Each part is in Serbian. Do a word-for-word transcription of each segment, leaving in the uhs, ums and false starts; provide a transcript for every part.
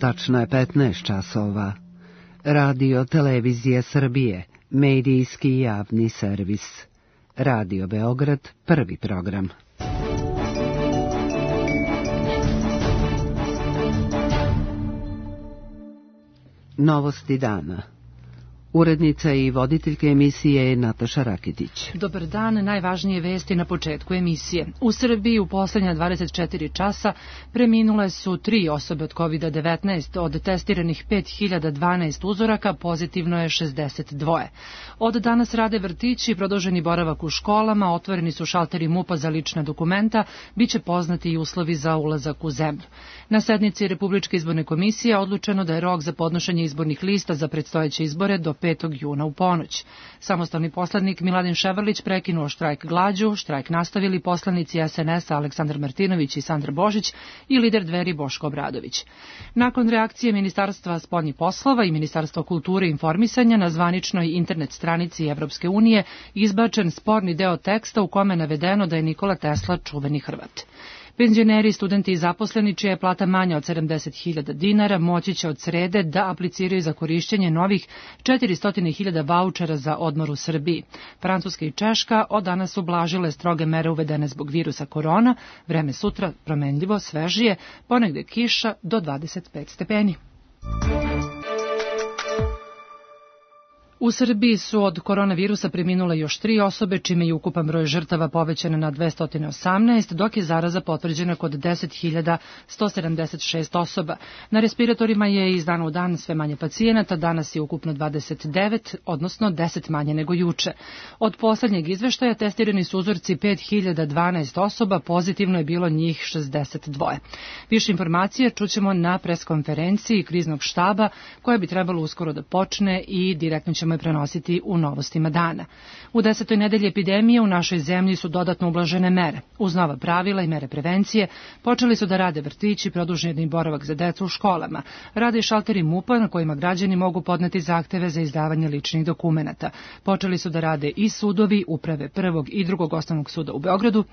Tačno je petnaest časova. Radio Televizije Srbije, medijski javni servis. Radio Beograd, prvi program. Novosti dana. Urednica i voditeljka emisije je Nataša Rakitić. Dobar dan, najvažnije vesti na početku emisije. U Srbiji u poslednja dvadeset četiri časa preminule su tri osobe od kovid devetnaest, od testiranih pet hiljada dvanaest uzoraka pozitivno je šezdeset dva. Od danas rade vrtići, produženi boravak u školama, otvoreni su šalteri MUP-a za lična dokumenta, biće poznati i uslovi za ulazak u zemlju. Na sednici Republičke izborne komisije odlučeno da je rok za podnošenje izbornih lista za predstojeće izbore do petog juna u ponoć. Samostalni poslanik Miladin Ševarlić prekinuo štrajk glađu, štrajk nastavili poslanici es en es-a Aleksandar Martinović i Sandra Božić i lider Dveri Boško Obradović. Nakon reakcije Ministarstva spoljnih poslova i Ministarstva kulture i informisanja na zvaničnoj internet stranici Evropske unije izbačen sporni deo teksta u kome je navedeno da je Nikola Tesla čuveni Hrvat. Penzioneri, studenti i zaposleni čija je plata manja od sedamdeset hiljada dinara moći će od srede da apliciraju za korišćenje novih četiristo hiljada vaučera za odmor u Srbiji. Francuska i Češka od danas ublažile stroge mere uvedene zbog virusa korona, vreme sutra promenljivo, svežije, ponegde kiša do dvadeset pet stepeni. U Srbiji su od koronavirusa preminule još tri osobe, čime je ukupan broj žrtava povećan na dvesta osamnaest, dok je zaraza potvrđena kod deset hiljada sto sedamdeset šest osoba. Na respiratorima je iz dana u dan sve manje pacijenata, danas je ukupno dvadeset devet, odnosno deset manje nego juče. Od poslednjeg izveštaja testirani su uzorci pet hiljada dvanaest osoba, pozitivno je bilo njih šezdeset dva. Više informacije čućemo na preskonferenciji kriznog štaba, koja bi trebalo uskoro da počne i direktno ćemo je prenositi u novostima dana. U desetoj nedelji epidemije u našoj zemlji su dodatno ublažene mere. Uz nova pravila i mere prevencije počeli su da rade vrtići, produženi boravak za decu u školama. Rade i šalteri MUP-a na kojima građani mogu podneti zahteve za izdavanje ličnih dokumenata. Počeli su da rade i sudovi, uprave prvog i drugog osnovnog suda u Beogradu.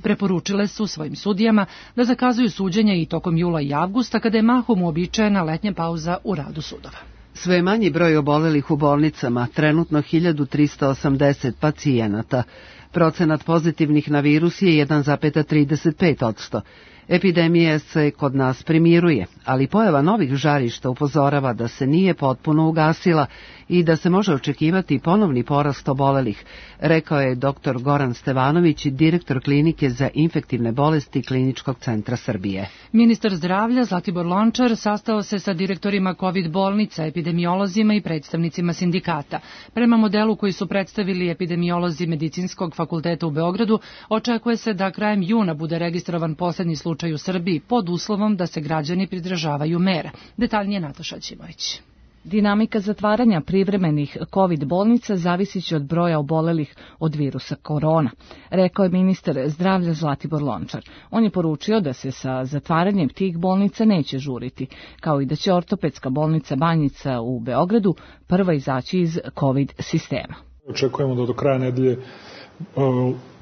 Preporučile su svojim sudijama da zakazuju suđenja i tokom jula i avgusta, kada je mahom uobičajena letnja pauza u radu sudova. Sve manji broj obolelih u bolnicama, trenutno hiljadu trista osamdeset pacijenata. Procenat pozitivnih na virus je jedan zarez trideset pet posto. Epidemija se kod nas primiruje, ali pojava novih žarišta upozorava da se nije potpuno ugasila i da se može očekivati ponovni porast obolelih, rekao je doktor Goran Stevanović, direktor klinike za infektivne bolesti Kliničkog centra Srbije. Ministar zdravlja Zlatibor Lončar sastao se sa direktorima kovid bolnica, epidemiolozima i predstavnicima sindikata. Prema modelu koji su predstavili epidemiolozi Medicinskog fakulteta u Beogradu, očekuje se da krajem juna bude registrovan poslednji slučaj u Srbiji pod uslovom da se građani pridržavaju mera. Detaljnije Nataša Ćimović. Dinamika zatvaranja privremenih kovid bolnica zavisiće od broja obolelih od virusa korona, rekao je ministar zdravlja Zlatibor Lončar. On je poručio da se sa zatvaranjem tih bolnica neće žuriti, kao i da će ortopedska bolnica Banjica u Beogradu prva izaći iz kovid sistema. Očekujemo da do kraja nedelje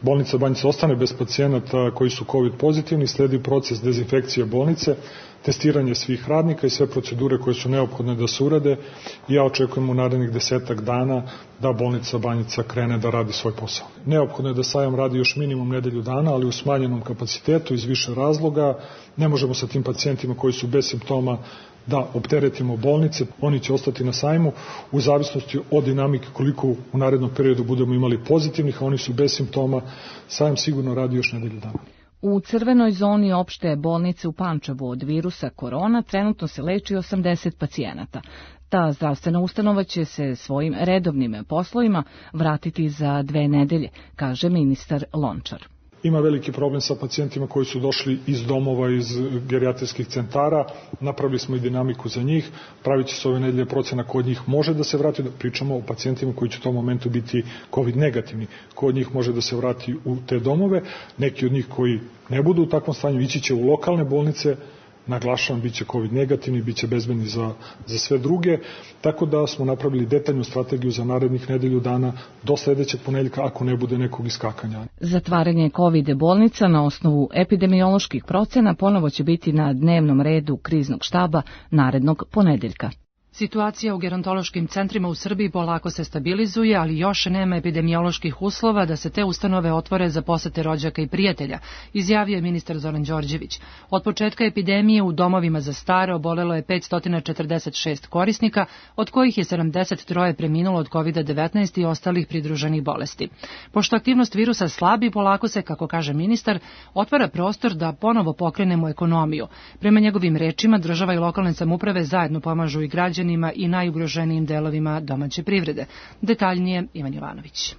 bolnica Banjica ostane bez pacijenata koji su kovid pozitivni, sledi proces dezinfekcije bolnice, testiranje svih radnika i sve procedure koje su neophodne da se urade i ja očekujem u narednih desetak dana da bolnica Banjica krene da radi svoj posao. Neophodno je da sajam radi još minimum nedelju dana, ali u smanjenom kapacitetu iz više razloga. Ne možemo sa tim pacijentima koji su bez simptoma da opteretimo bolnice, oni će ostati na sajmu u zavisnosti od dinamike koliko u narednom periodu budemo imali pozitivnih, a oni su bez simptoma, sajam sigurno radi još nedelju dana. U crvenoj zoni opšte bolnice u Pančevu od virusa korona trenutno se leči osamdeset pacijenata. Ta zdravstvena ustanova će se svojim redovnim poslovima vratiti za dve nedelje, kaže ministar Lončar. Ima veliki problem sa pacijentima koji su došli iz domova, iz gerijatrijskih centara, napravili smo i dinamiku za njih, pravit će se ove nedelje procena ko od njih može da se vrati, da pričamo o pacijentima koji će u tom momentu biti kovid negativni, ko od njih može da se vrati u te domove, neki od njih koji ne budu u takvom stanju ići će u lokalne bolnice naglašavam, bit će COVID negativni, bit će bezbedni za, za sve druge, tako da smo napravili detaljnu strategiju za narednih nedelju dana do sledećeg ponedeljka ako ne bude nekog iskakanja. Zatvaranje COVID bolnica na osnovu epidemioloških procena ponovo će biti na dnevnom redu kriznog štaba narednog ponedeljka. Situacija u gerontološkim centrima u Srbiji polako se stabilizuje, ali još nema epidemioloških uslova da se te ustanove otvore za posete rođaka i prijatelja, izjavio je ministar Zoran Đorđević. Od početka epidemije u domovima za stare obolelo je petsto četrdeset šest korisnika, od kojih je sedamdeset tri preminulo od kovid devetnaest i ostalih pridruženih bolesti. Pošto aktivnost virusa slabi, polako se, kako kaže ministar, otvara prostor da ponovo pokrenemo ekonomiju. Prema njegovim rečima, država i lokalne samouprave zajedno pomažu i građani i najugroženijim delovima domaće privrede. Detaljnije Ivan Jovanović.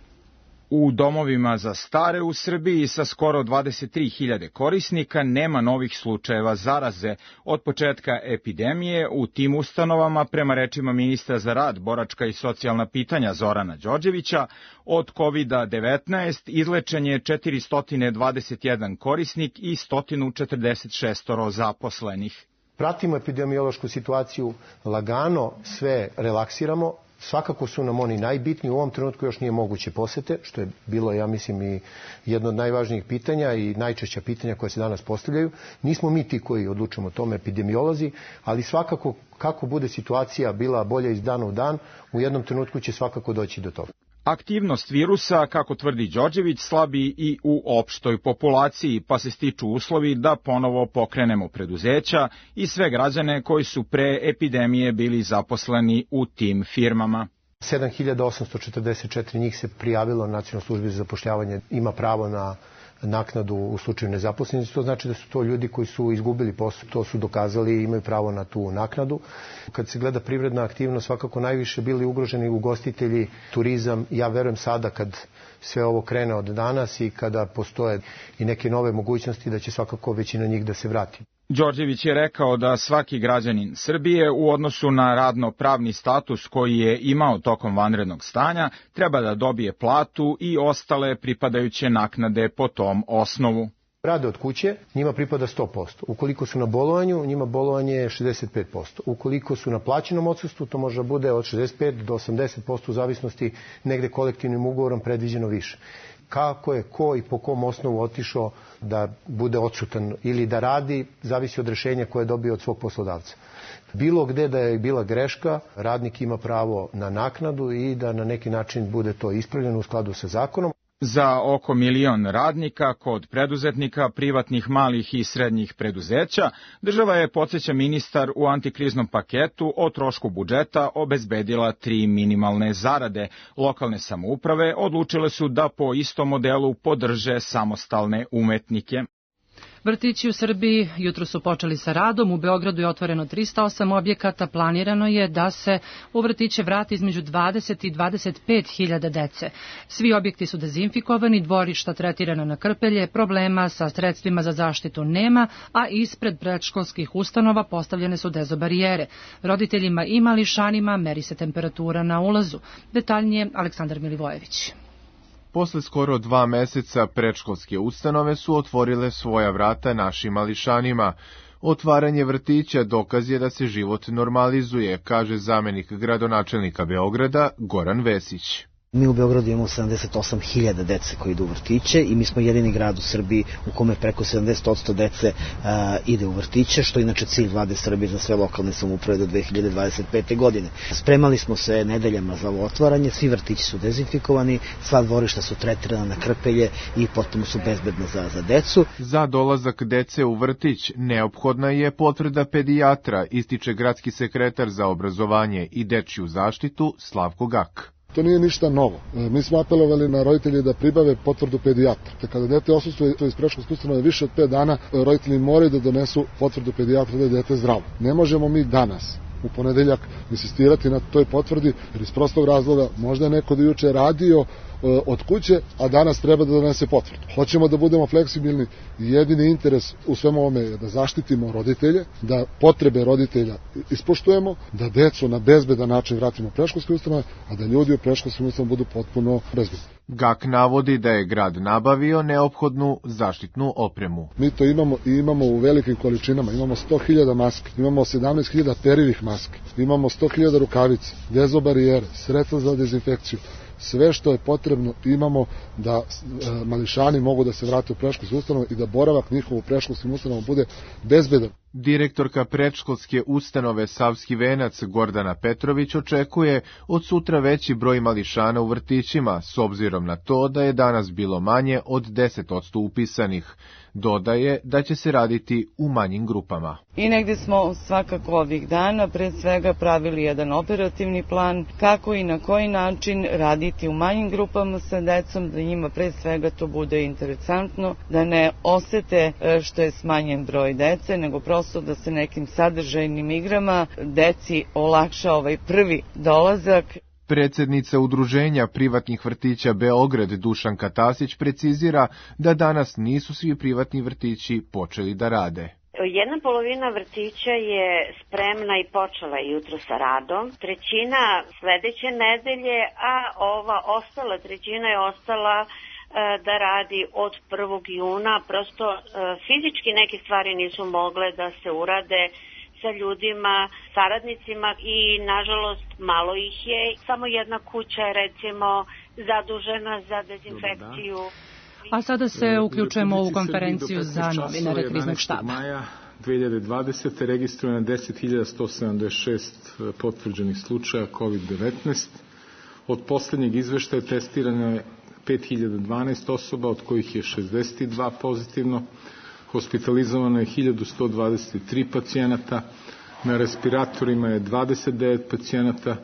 U domovima za stare u Srbiji sa skoro dvadeset tri hiljade korisnika nema novih slučajeva zaraze. Od početka epidemije u tim ustanovama, prema rečima ministra za rad, boračka i socijalna pitanja Zorana Đorđevića, od kovid devetnaest izlečen je četiristo dvadeset jedan korisnik i sto četrdeset šest zaposlenih. Pratimo epidemiološku situaciju, lagano sve relaksiramo, svakako su nam oni najbitniji, u ovom trenutku još nije moguće posete, što je bilo, ja mislim, i jedno od najvažnijih pitanja i najčešća pitanja koja se danas postavljaju. Nismo mi ti koji odlučujemo o tome, epidemiolozi, ali svakako kako bude situacija bila bolja iz dana u dan, u jednom trenutku će svakako doći do toga. Aktivnost virusa, kako tvrdi Đorđević, slabi i u opštoj populaciji, pa se stiču uslovi da ponovo pokrenemo preduzeća i sve građane koji su pre epidemije bili zaposleni u tim firmama. sedam hiljada osamsto četrdeset četiri njih se prijavilo na Nacionalnoj službi za zapošljavanje, ima pravo na naknadu u slučaju nezaposlenosti. To znači da su to ljudi koji su izgubili posao, to su dokazali i imaju pravo na tu naknadu. Kad se gleda privredna aktivnost, svakako najviše bili ugroženi ugostitelji, turizam. Ja verujem sada kad sve ovo krene od danas i kada postoje i neke nove mogućnosti da će svakako većina njih da se vrati. Đorđević je rekao da svaki građanin Srbije u odnosu na radno-pravni status koji je imao tokom vanrednog stanja treba da dobije platu i ostale pripadajuće naknade po tom osnovu. Rade od kuće, njima pripada sto posto. Ukoliko su na bolovanju, njima bolovanje je šezdeset pet posto. Ukoliko su na plaćenom odsustvu, to može bude od šezdeset pet do osamdeset posto u zavisnosti, negde kolektivnim ugovorom predviđeno više. Kako je ko i po kom osnovu otišao da bude odsutan ili da radi, zavisi od rešenja koje je dobio od svog poslodavca. Bilo gde da je bila greška, radnik ima pravo na naknadu i da na neki način bude to ispravljeno u skladu sa zakonom. Za oko milion radnika kod preduzetnika, privatnih malih i srednjih preduzeća, država je, podsjeća ministar, u antikriznom paketu o trošku budžeta obezbedila tri minimalne zarade. Lokalne samouprave odlučile su da po istom modelu podrže samostalne umetnike. Vrtići u Srbiji jutro su počeli sa radom, u Beogradu je otvoreno trista osam objekata, planirano je da se u vrtiće vrati između dvadeset i dvadeset pet hiljada dece. Svi objekti su dezinfikovani, dvorišta tretirana na krpelje, problema sa sredstvima za zaštitu nema, a ispred predškolskih ustanova postavljene su dezobarijere. Roditeljima i mališanima meri se temperatura na ulazu. Detaljnije Aleksandar Milivojević. Posle skoro dva meseca predškolske ustanove su otvorile svoja vrata našim mališanima. Otvaranje vrtića dokaz je da se život normalizuje, kaže zamenik gradonačelnika Beograda Goran Vesić. Mi u Beogradu imamo sedamdeset osam hiljada dece koji idu u vrtiće i mi smo jedini grad u Srbiji u kome preko sedamdeset posto dece a, ide u vrtiće, što je inače cilj vlade Srbije za sve lokalne samouprave do dve hiljade dvadeset pete. godine. Spremali smo se nedeljama za ovo otvaranje, svi vrtići su dezinfikovani, sva dvorišta su tretirana na krpelje i potpuno su bezbedna za, za decu. Za dolazak dece u vrtić neophodna je potvrda pedijatra, ističe gradski sekretar za obrazovanje i dečju zaštitu Slavko Gak. To nije ništa novo. Mi smo apelovali na roditelje da pribave potvrdu pedijatra. Te kada dete odsustuje iz predškolske ustanove više od pet dana, roditelji moraju da donesu potvrdu pedijatra da je dete zdravo. Ne možemo mi danas, u ponedeljak, insistirati na toj potvrdi, jer iz prostog razloga možda je neko da juče radio od kuće, a danas treba da donese potvrdu. Hoćemo da budemo fleksibilni i jedini interes u svemu ovome je da zaštitimo roditelje, da potrebe roditelja ispoštujemo, da decu na bezbedan način vratimo u predškolske ustanove, a da ljudi u predškolskim ustanovama budu potpuno bezbedni. G A K navodi da je grad nabavio neophodnu zaštitnu opremu. Mi to imamo i imamo u velikim količinama. Imamo sto hiljada maski, imamo sedamnaest hiljada perivih maski, imamo sto hiljada rukavica, dezobarijere, sredstva za dezinfekciju. Sve što je potrebno imamo da e, mališani mogu da se vrate u predškolske ustanove i da boravak njihov u predškolskim ustanovama bude bezbedan. Direktorka predškolske ustanove Savski venac Gordana Petrović očekuje od sutra veći broj mališana u vrtićima, s obzirom na to da je danas bilo manje od deset posto upisanih. Dodaje da će se raditi u manjim grupama. I negde smo svakako ovih dana pre svega pravili jedan operativni plan kako i na koji način raditi u manjim grupama sa decom, da njima pre svega to bude interesantno, da ne osete što je smanjen broj dece, nego prosto da se nekim sadržajnim igrama deci olakša ovaj prvi dolazak. Predsednica Udruženja privatnih vrtića Beograd Dušanka Tasić precizira da danas nisu svi privatni vrtići počeli da rade. Jedna polovina vrtića je spremna i počela jutro sa radom, trećina sledeće nedelje, a ova ostala trećina je ostala da radi od prvog juna. Prosto fizički neke stvari nisu mogle da se urade sa ljudima, saradnicima i nažalost malo ih je. Samo jedna kuća je recimo zadužena za dezinfekciju. A sada se uključujemo u konferenciju za novinare Kriznog štaba. maja dve hiljade dvadesete. registrovano deset hiljada sto sedamdeset šest potvrđenih slučaja kovid devetnaest. Od poslednjeg izveštaja testirano je pet hiljada dvanaest osoba, od kojih je šezdeset dva pozitivno. Hospitalizovano je hiljadu sto dvadeset tri pacijenata, na respiratorima je dvadeset devet pacijenata,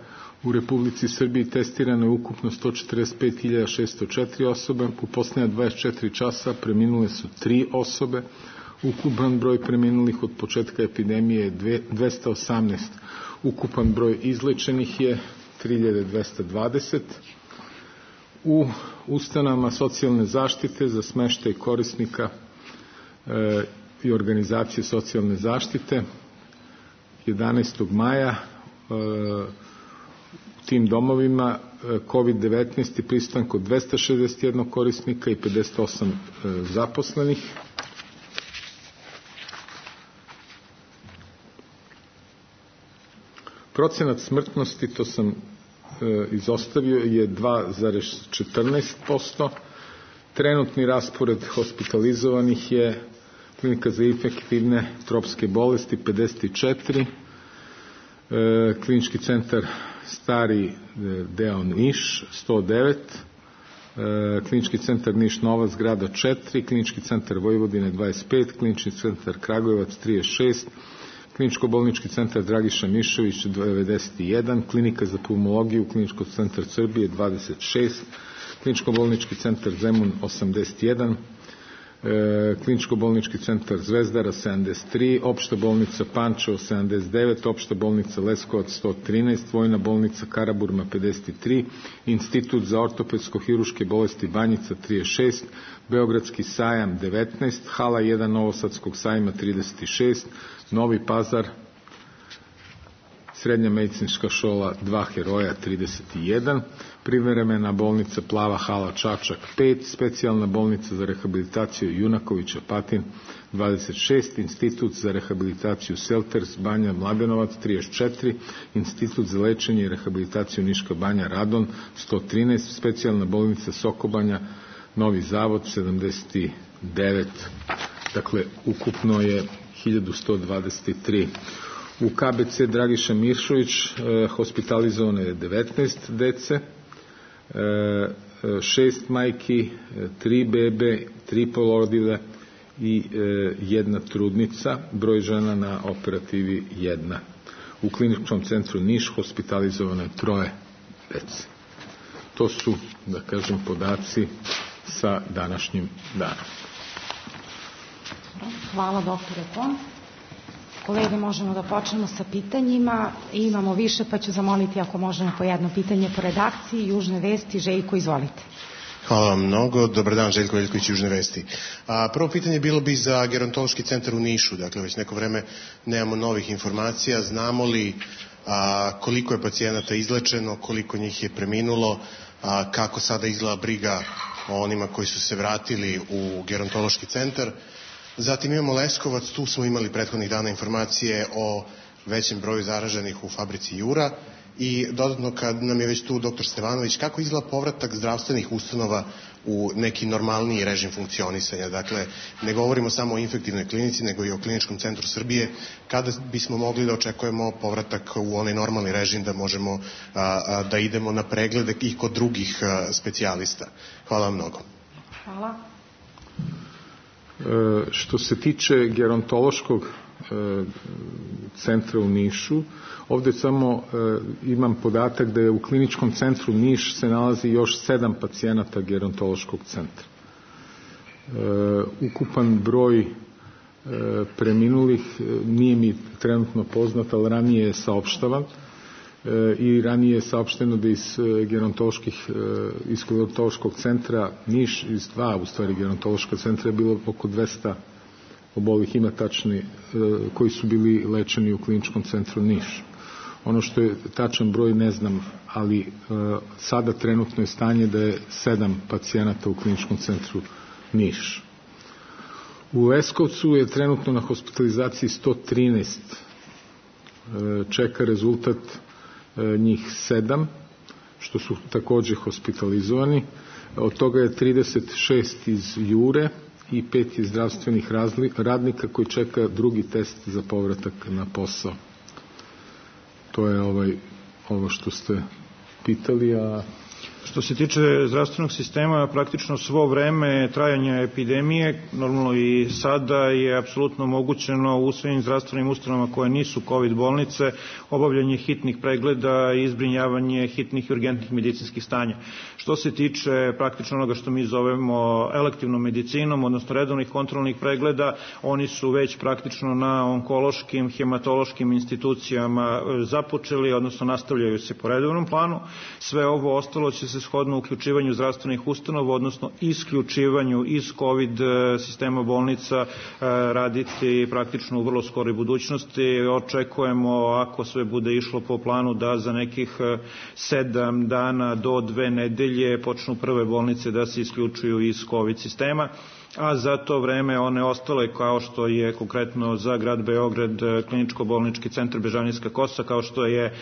u Republici Srbiji testirano je ukupno sto četrdeset pet hiljada šesto četiri osobe, u poslednja dvadeset četiri časa preminule su tri osobe, ukupan broj preminulih od početka epidemije je dvesta osamnaest, ukupan broj izlečenih je tri hiljade dvesta dvadeset. U ustanovama socijalne zaštite za smeštaj korisnika e, i organizacije socijalne zaštite jedanaestog maja e, u tim domovima e, kovid devetnaest je prisutan kod dvesta šezdeset jedan korisnika i pedeset osam e, zaposlenih. Procenat smrtnosti, to sam izostavio, je dva zarez četrnaest posto. Trenutni raspored hospitalizovanih je klinika za infektivne tropske bolesti pedeset četiri, klinički centar Stari deo Niš sto devet, klinički centar Niš Nova zgrada četiri, klinički centar Vojvodine dvadeset pet, klinički centar Kragujevac trideset šest, Kliničko-bolnički centar Dragiša Mišović devedeset jedan, klinika za pulmologiju Kliničkog centar Srbije dvadeset šest, Kliničko-bolnički centar Zemun osamdeset jedan, e, Kliničko-bolnički centar Zvezdara sedamdeset tri, Opšta bolnica Pančevo sedamdeset devet, Opšta bolnica Leskovac sto trinaest, Vojna bolnica Karaburma pedeset tri, Institut za ortopedsko-hiruške bolesti Banjica trideset šest, Beogradski sajam devetnaest, Hala jedan Novosadskog sajma trideset šest, Novi Pazar, Srednja medicinska škola dva Heroja trideset jedan, privremena bolnica Plava hala Čačak pet, specijalna bolnica za rehabilitaciju Junaković Apatin dvadeset šest, Institut za rehabilitaciju Selters Banja Mladenovac trideset četiri, Institut za lečenje i rehabilitaciju Niška Banja Radon sto trinaest, specijalna bolnica Sokobanja Novi Zavod sedamdeset devet. Dakle, ukupno je hiljadu sto dvadeset tri. U K B C Dragiša Mišović e, hospitalizovano je devetnaest dece, e, šest majki, tri bebe, tri porodilje i e, jedna trudnica, broj žena na operativi jedna. U kliničkom centru Niš hospitalizovano je troje dece. To su, da kažem, podaci sa današnjim danom. Hvala, doktore Kon. Kolege, možemo da počnemo sa pitanjima. Imamo više, pa ću zamoliti ako možemo po jedno pitanje po redakciji. Južne vesti, Željko, izvolite. Hvala vam mnogo. Dobar dan, Željko Veljković, Južne vesti. A, prvo pitanje bilo bi za gerontološki centar u Nišu. Dakle, već neko vreme nemamo novih informacija. Znamo li a, koliko je pacijenata izlečeno, koliko njih je preminulo, a, kako sada izgleda briga o onima koji su se vratili u gerontološki centar. Zatim imamo Leskovac, tu smo imali prethodnih dana informacije o većem broju zaraženih u fabrici Jura. I dodatno, kad nam je već tu doktor Stevanović, kako izgleda povratak zdravstvenih ustanova u neki normalniji režim funkcionisanja? Dakle, ne govorimo samo o infektivnoj klinici, nego i o Kliničkom centru Srbije. Kada bismo mogli da očekujemo povratak u onaj normalni režim da možemo a, a, da idemo na preglede i kod drugih a, specijalista? Hvala vam mnogo. Hvala. E, što se tiče gerontološkog e, centra u Nišu, ovde samo e, imam podatak da je u Kliničkom centru Niš se nalazi još sedam pacijenata gerontološkog centra. E, ukupan broj e, preminulih e, nije mi trenutno poznat, ali ranije je saopštavan e, i ranije je saopšteno da iz gerontoloških e, iz gerontološkog centra Niš, iz dva u stvari gerontološka centra je bilo oko dvesta obolih, ima tačni e, koji su bili lečeni u Kliničkom centru Niš. Ono što je tačan broj ne znam, ali e, sada trenutno je stanje da je sedam pacijenata u Kliničkom centru Niš. U Leskovcu je trenutno na hospitalizaciji sto trinaest. E, čeka rezultat e, njih sedam, što su takođe hospitalizovani. Od toga je trideset šest iz Jure i pet iz zdravstvenih radnika koji čeka drugi test za povratak na posao. To je ovaj, ovo što ste pitali, a... Što se tiče zdravstvenog sistema, praktično svo vreme trajanja epidemije, normalno i sada, je apsolutno omogućeno u svim zdravstvenim ustanovama koje nisu COVID bolnice, obavljanje hitnih pregleda i izbrinjavanje hitnih i urgentnih medicinskih stanja. Što se tiče praktično onoga što mi zovemo elektivnom medicinom, odnosno redovnih kontrolnih pregleda, oni su već praktično na onkološkim, hematološkim institucijama započeli, odnosno nastavljaju se po redovnom planu. Sve ovo ostalo će se shodno uključivanju zdravstvenih ustanova, odnosno isključivanju iz COVID sistema bolnica raditi praktično u vrlo skoroj budućnosti. Očekujemo, ako sve bude išlo po planu, da za nekih sedam dana do dve nedelje počnu prve bolnice da se isključuju iz COVID sistema, a za to vreme one ostale, kao što je konkretno za grad Beograd kliničko-bolnički centar Bežanijska Kosa, kao što je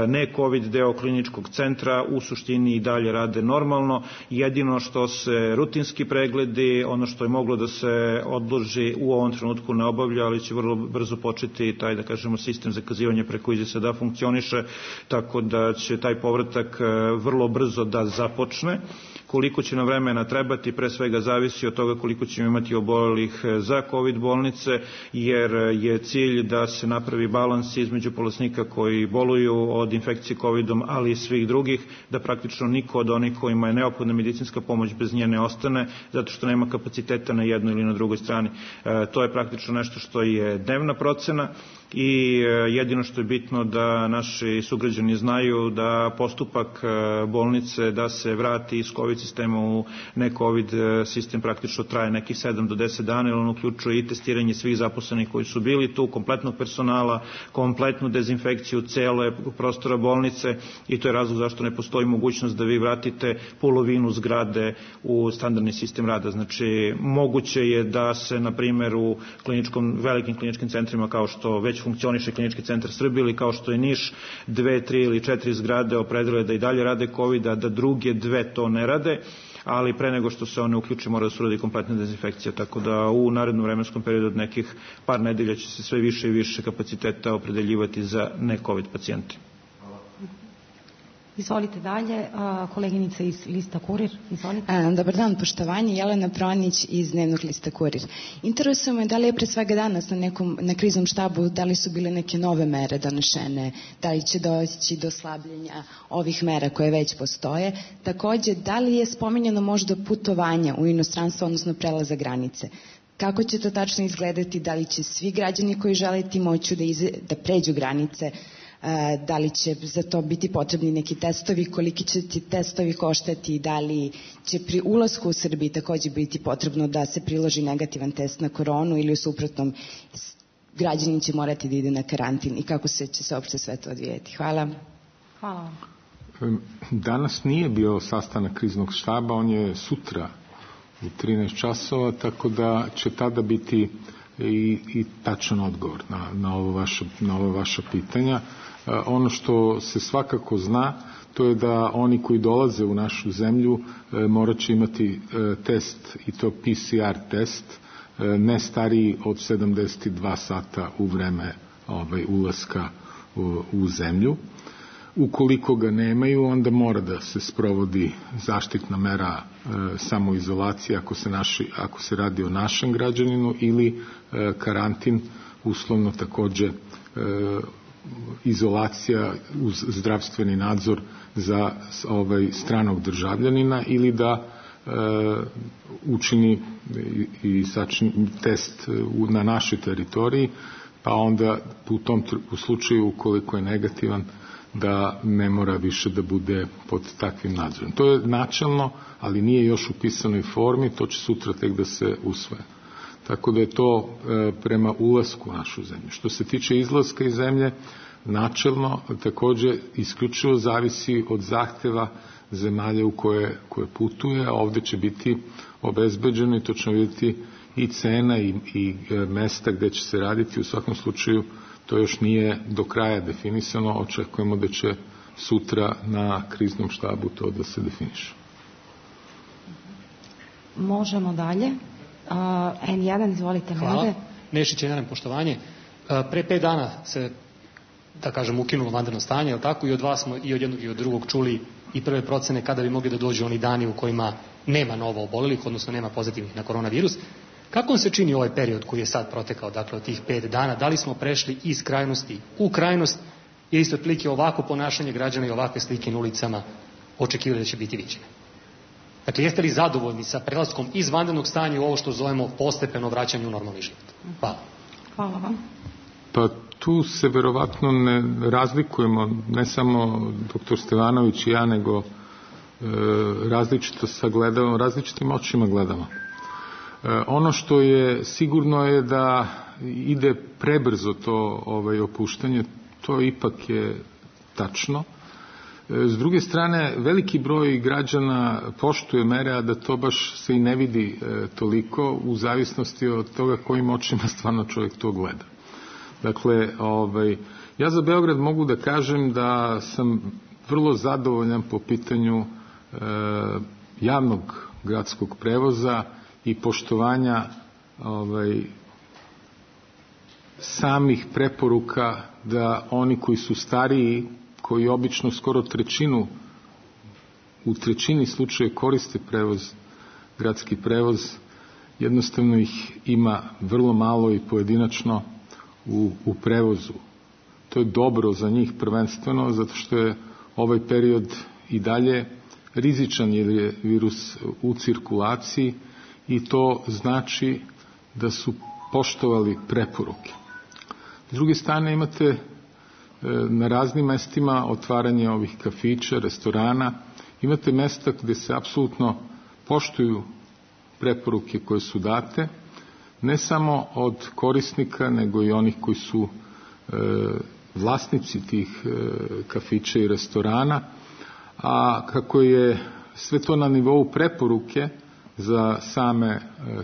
ne COVID deo kliničkog centra, u suštini i dalje rade normalno. Jedino što se rutinski pregledi, ono što je moglo da se odloži, u ovom trenutku ne obavlja, ali će vrlo brzo početi taj, da kažemo, sistem zakazivanja preko ize da funkcioniše, tako da će taj povratak vrlo brzo da započne. Koliko će nam vremena trebati, pre svega zavisi od toga koliko ćemo imati obolelih za COVID bolnice, jer je cilj da se napravi balans između bolesnika koji boluju od infekcije covidom, ali i svih drugih, da praktično niko od onih kojima je neophodna medicinska pomoć bez nje ne ostane, zato što nema kapaciteta na jednoj ili na drugoj strani. E, to je praktično nešto što je dnevna procena i jedino što je bitno da naši sugrađani znaju da postupak bolnice da se vrati iz COVID sistema u ne COVID sistem praktično traje nekih sedam do deset dana, jer on uključuje i testiranje svih zaposlenih koji su bili tu, kompletnog personala, kompletnu dezinfekciju cele prostora bolnice, i to je razlog zašto ne postoji mogućnost da vi vratite polovinu zgrade u standardni sistem rada. Znači, moguće je da se, na primjer, u kliničkom, velikim kliničkim centrima kao što već funkcioniše Klinički centar Srbije ili kao što je Niš, dve, tri ili četiri zgrade opredele da i dalje rade COVID, a da druge dve to ne rade, ali pre nego što se one uključi mora da se uradi kompletna dezinfekcija, tako da u narednom vremenskom periodu od nekih par nedelja će se sve više i više kapaciteta opredeljivati za ne COVID pacijente. Izvolite dalje, koleginica iz Lista Kurir. Izvolite. Dobar dan, poštovanje. Jelena Pronić iz Dnevnog lista Kurir. Interesuje me da li je pre svega danas na, nekom, na kriznom štabu, da li su bile neke nove mere donešene, da li će doći do slabljenja ovih mera koje već postoje. Takođe, da li je spominjeno možda putovanje u inostranstvo, odnosno prelaza granice? Kako će to tačno izgledati? Da li će svi građani koji žele ti moću da, ize, da pređu granice? Da li će za to biti potrebni neki testovi? Koliki će ti testovi koštati? Da li će pri ulasku u Srbiji takođe biti potrebno da se priloži negativan test na koronu ili u suprotnom građanin će morati da ide na karantin? I kako se će se uopšte sve to odvijeti? Hvala. Hvala. Danas nije bio sastanak kriznog štaba, on je sutra u trinaest časova, tako da će tada biti i, i tačan odgovor na, na, ovo vaše, na ove vaša pitanja. E, ono što se svakako zna, to je da oni koji dolaze u našu zemlju e, morat će imati e, test, i to P C R test, e, ne stariji od sedamdeset dva sata u vreme ovaj, ulaska u, u zemlju. Ukoliko ga nemaju, onda mora da se sprovodi zaštitna mera e, samoizolacije ako se, naši, ako se radi o našem građaninu ili e, karantin, uslovno takođe e, izolacija uz zdravstveni nadzor za ovaj, stranog državljanina ili da e, učini i, i sačini test na našoj teritoriji, pa onda u tom u slučaju ukoliko je negativan da ne mora više da bude pod takvim nadzorom. To je načelno, ali nije još u pisanoj formi, to će sutra tek da se usvoje. Tako da je to e, prema ulasku u našu zemlju. Što se tiče izlaska iz zemlje, načelno takođe isključivo zavisi od zahteva zemalja u koje, koje putuje, a ovde će biti obezbeđeno i to ćemo vidjeti i cena i, i e, mesta gde će se raditi. U svakom slučaju to još nije do kraja definisano, očekujemo da će sutra na kriznom štabu to da se definiše. Možemo dalje. Uh, en jedan, izvolite. Hvala. Nede. Nešić, jedan, poštovanje. Uh, pre pet dana se, da kažem, ukinulo vanredno stanje, je li tako? I od vas smo i od jednog i od drugog čuli i prve procene kada bi mogli da dođu oni dani u kojima nema novo obolelih, odnosno nema pozitivnih na koronavirus. Kako vam se čini ovaj period koji je sad protekao, dakle od tih pet dana? Da li smo prešli iz krajnosti u krajnost ili isto otprilike ovako ponašanje građana i ovakve slike na ulicama očekivali da će biti viđene? Dakle, jeste li zadovoljni sa prelaskom iz vanrednog stanja u ovo što zovemo postepeno vraćanje u normalni život? Hvala. Hvala vam. Pa tu se verovatno ne razlikujemo, ne samo doktor Stevanović i ja, nego e, različito sagledamo, različitim očima gledamo. Ono što je sigurno je da ide prebrzo to ovaj, opuštanje, to ipak je tačno. S druge strane, veliki broj građana poštuje mere, a da to baš se i ne vidi e, toliko u zavisnosti od toga kojim očima stvarno čovjek to gleda. Dakle, ovaj, ja za Beograd mogu da kažem da sam vrlo zadovoljan po pitanju e, javnog gradskog prevoza i poštovanja ovaj, samih preporuka da oni koji su stariji, koji obično skoro trećinu, u trećini slučaja koriste prevoz, gradski prevoz, jednostavno ih ima vrlo malo i pojedinačno u, u prevozu. To je dobro za njih prvenstveno, zato što je ovaj period i dalje rizičan jer je virus u cirkulaciji i to znači da su poštovali preporuke. S druge strane imate na raznim mestima otvaranje ovih kafića, restorana, imate mesta gde se apsolutno poštuju preporuke koje su date, ne samo od korisnika, nego i onih koji su e, vlasnici tih e, kafića i restorana, a kako je sve to na nivou preporuke za same e,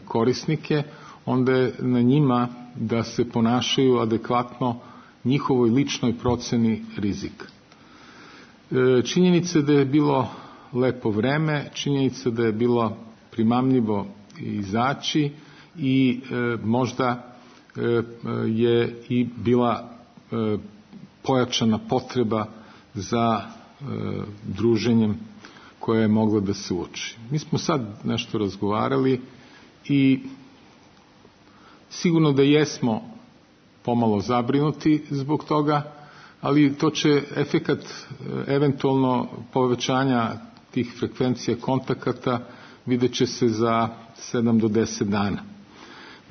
korisnike, onda je na njima da se ponašaju adekvatno njihovoj ličnoj proceni rizika. E, činjenica da je bilo lepo vreme, činjenica da je bilo primamljivo izaći i e, možda e, je i bila e, pojačana potreba za e, druženjem koje je moglo da se uoči. Mi smo sad nešto razgovarali i sigurno da jesmo pomalo zabrinuti zbog toga, ali to će efekat eventualno povećanja tih frekvencija kontakata vidjet će se za sedam do deset dana.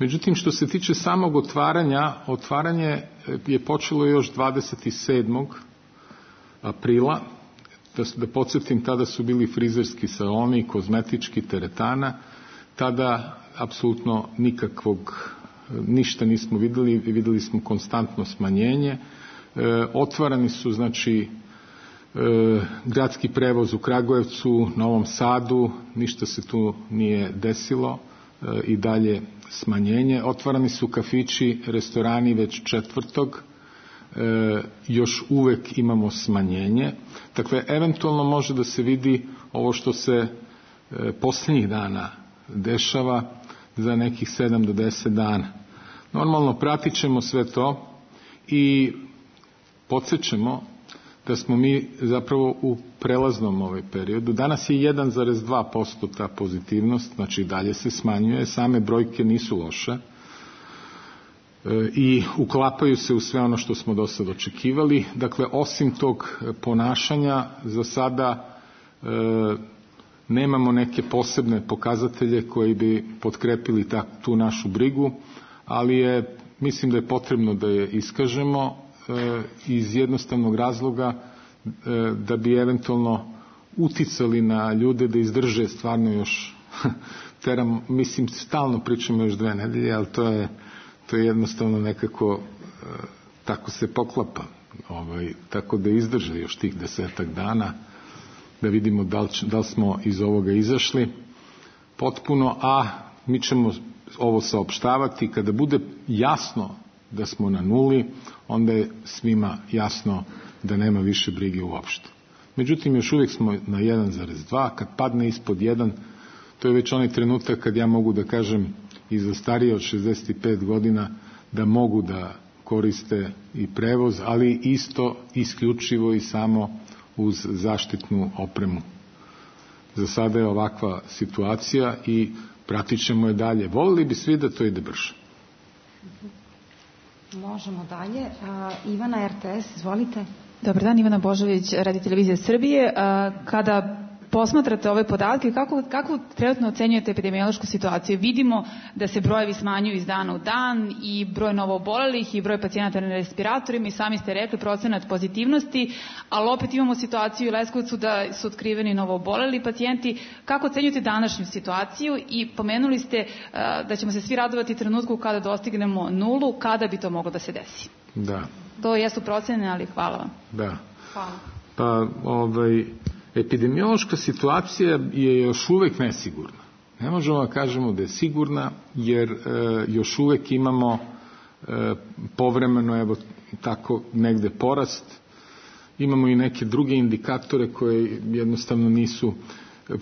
Međutim, što se tiče samog otvaranja, otvaranje je počelo još dvadeset sedmog aprila. Da, da podsjetim, tada su bili frizerski saloni, kozmetički, teretana. Tada apsolutno nikakvog, ništa nismo videli, videli smo konstantno smanjenje. E, otvarani su, znači, e, gradski prevoz u Kragujevcu, Novom Sadu, ništa se tu nije desilo, e, i dalje smanjenje. Otvarani su kafići, restorani već četvrtog, e, još uvek imamo smanjenje. Dakle, eventualno može da se vidi ovo što se e, posljednjih dana dešava za nekih sedam do deset dana. Normalno pratit ćemo sve to i podsjećamo da smo mi zapravo u prelaznom ovaj periodu. Danas je jedan zarez dva posto ta pozitivnost, znači dalje se smanjuje, same brojke nisu loše e, i uklapaju se u sve ono što smo do sad očekivali. Dakle, osim tog ponašanja, za sada e, nemamo neke posebne pokazatelje koji bi potkrepili ta, tu našu brigu, ali je, mislim da je potrebno da je iskažemo e, iz jednostavnog razloga e, da bi eventualno uticali na ljude da izdrže stvarno još teram, mislim, stalno pričamo još dve nedelje, ali to je, to je jednostavno nekako e, tako se poklapa, ovaj, tako da izdrže još tih desetak dana, da vidimo da li, da li smo iz ovoga izašli potpuno, a mi ćemo ovo saopštavati kada bude jasno da smo na nuli, onda je svima jasno da nema više brige uopšte. Međutim, još uvijek smo na jedan zarez dva, kad padne ispod jedan, to je već onaj trenutak kad ja mogu da kažem i za starije od šezdeset pet godina da mogu da koriste i prevoz, ali isto isključivo i samo uz zaštitnu opremu. Za sada je ovakva situacija i pratit ćemo je dalje. Volili bi svi da to ide brže. Možemo dalje. Uh, Ivana, R T S, izvolite. Dobar dan, Ivana Božović, Radio Televizija Srbije. Uh, kada posmatrate ove podatke, kako, kako trenutno ocenjujete epidemiološku situaciju? Vidimo da se brojevi smanjuju iz dana u dan i broj novoobolelih i broj pacijenata na respiratorima i sami ste rekli procenat pozitivnosti, ali opet imamo situaciju u Leskovcu da su otkriveni novooboleli pacijenti. Kako ocenjujete današnju situaciju i pomenuli ste uh, da ćemo se svi radovati trenutku kada dostignemo nulu, kada bi to moglo da se desi? Da. To jesu procene, ali hvala vam. Da. Hvala. Pa, ovaj... epidemiološka situacija je još uvek nesigurna. Ne možemo da kažemo da je sigurna, jer e, još uvek imamo e, povremeno, evo tako, negde porast. Imamo i neke druge indikatore koje jednostavno nisu,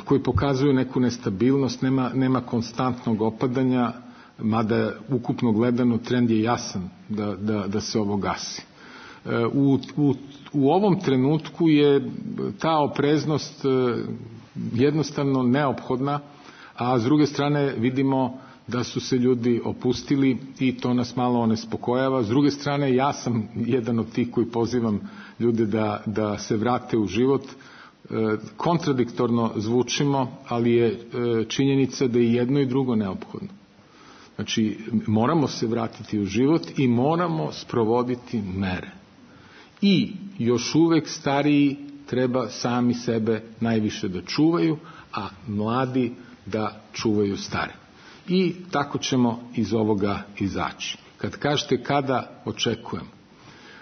koji pokazuju neku nestabilnost, nema, nema konstantnog opadanja, mada ukupno gledano trend je jasan da, da, da se ovo gasi. U, u, u ovom trenutku je ta opreznost jednostavno neophodna, a s druge strane vidimo da su se ljudi opustili i to nas malo onespokojava. S druge strane, ja sam jedan od tih koji pozivam ljude da, da se vrate u život. Kontradiktorno zvučimo, ali je činjenica da je jedno i drugo neophodno. Znači, moramo se vratiti u život i moramo sprovoditi mere. I još uvek stariji treba sami sebe najviše da čuvaju, a mladi da čuvaju stare. I tako ćemo iz ovoga izaći. Kad kažete kada očekujem,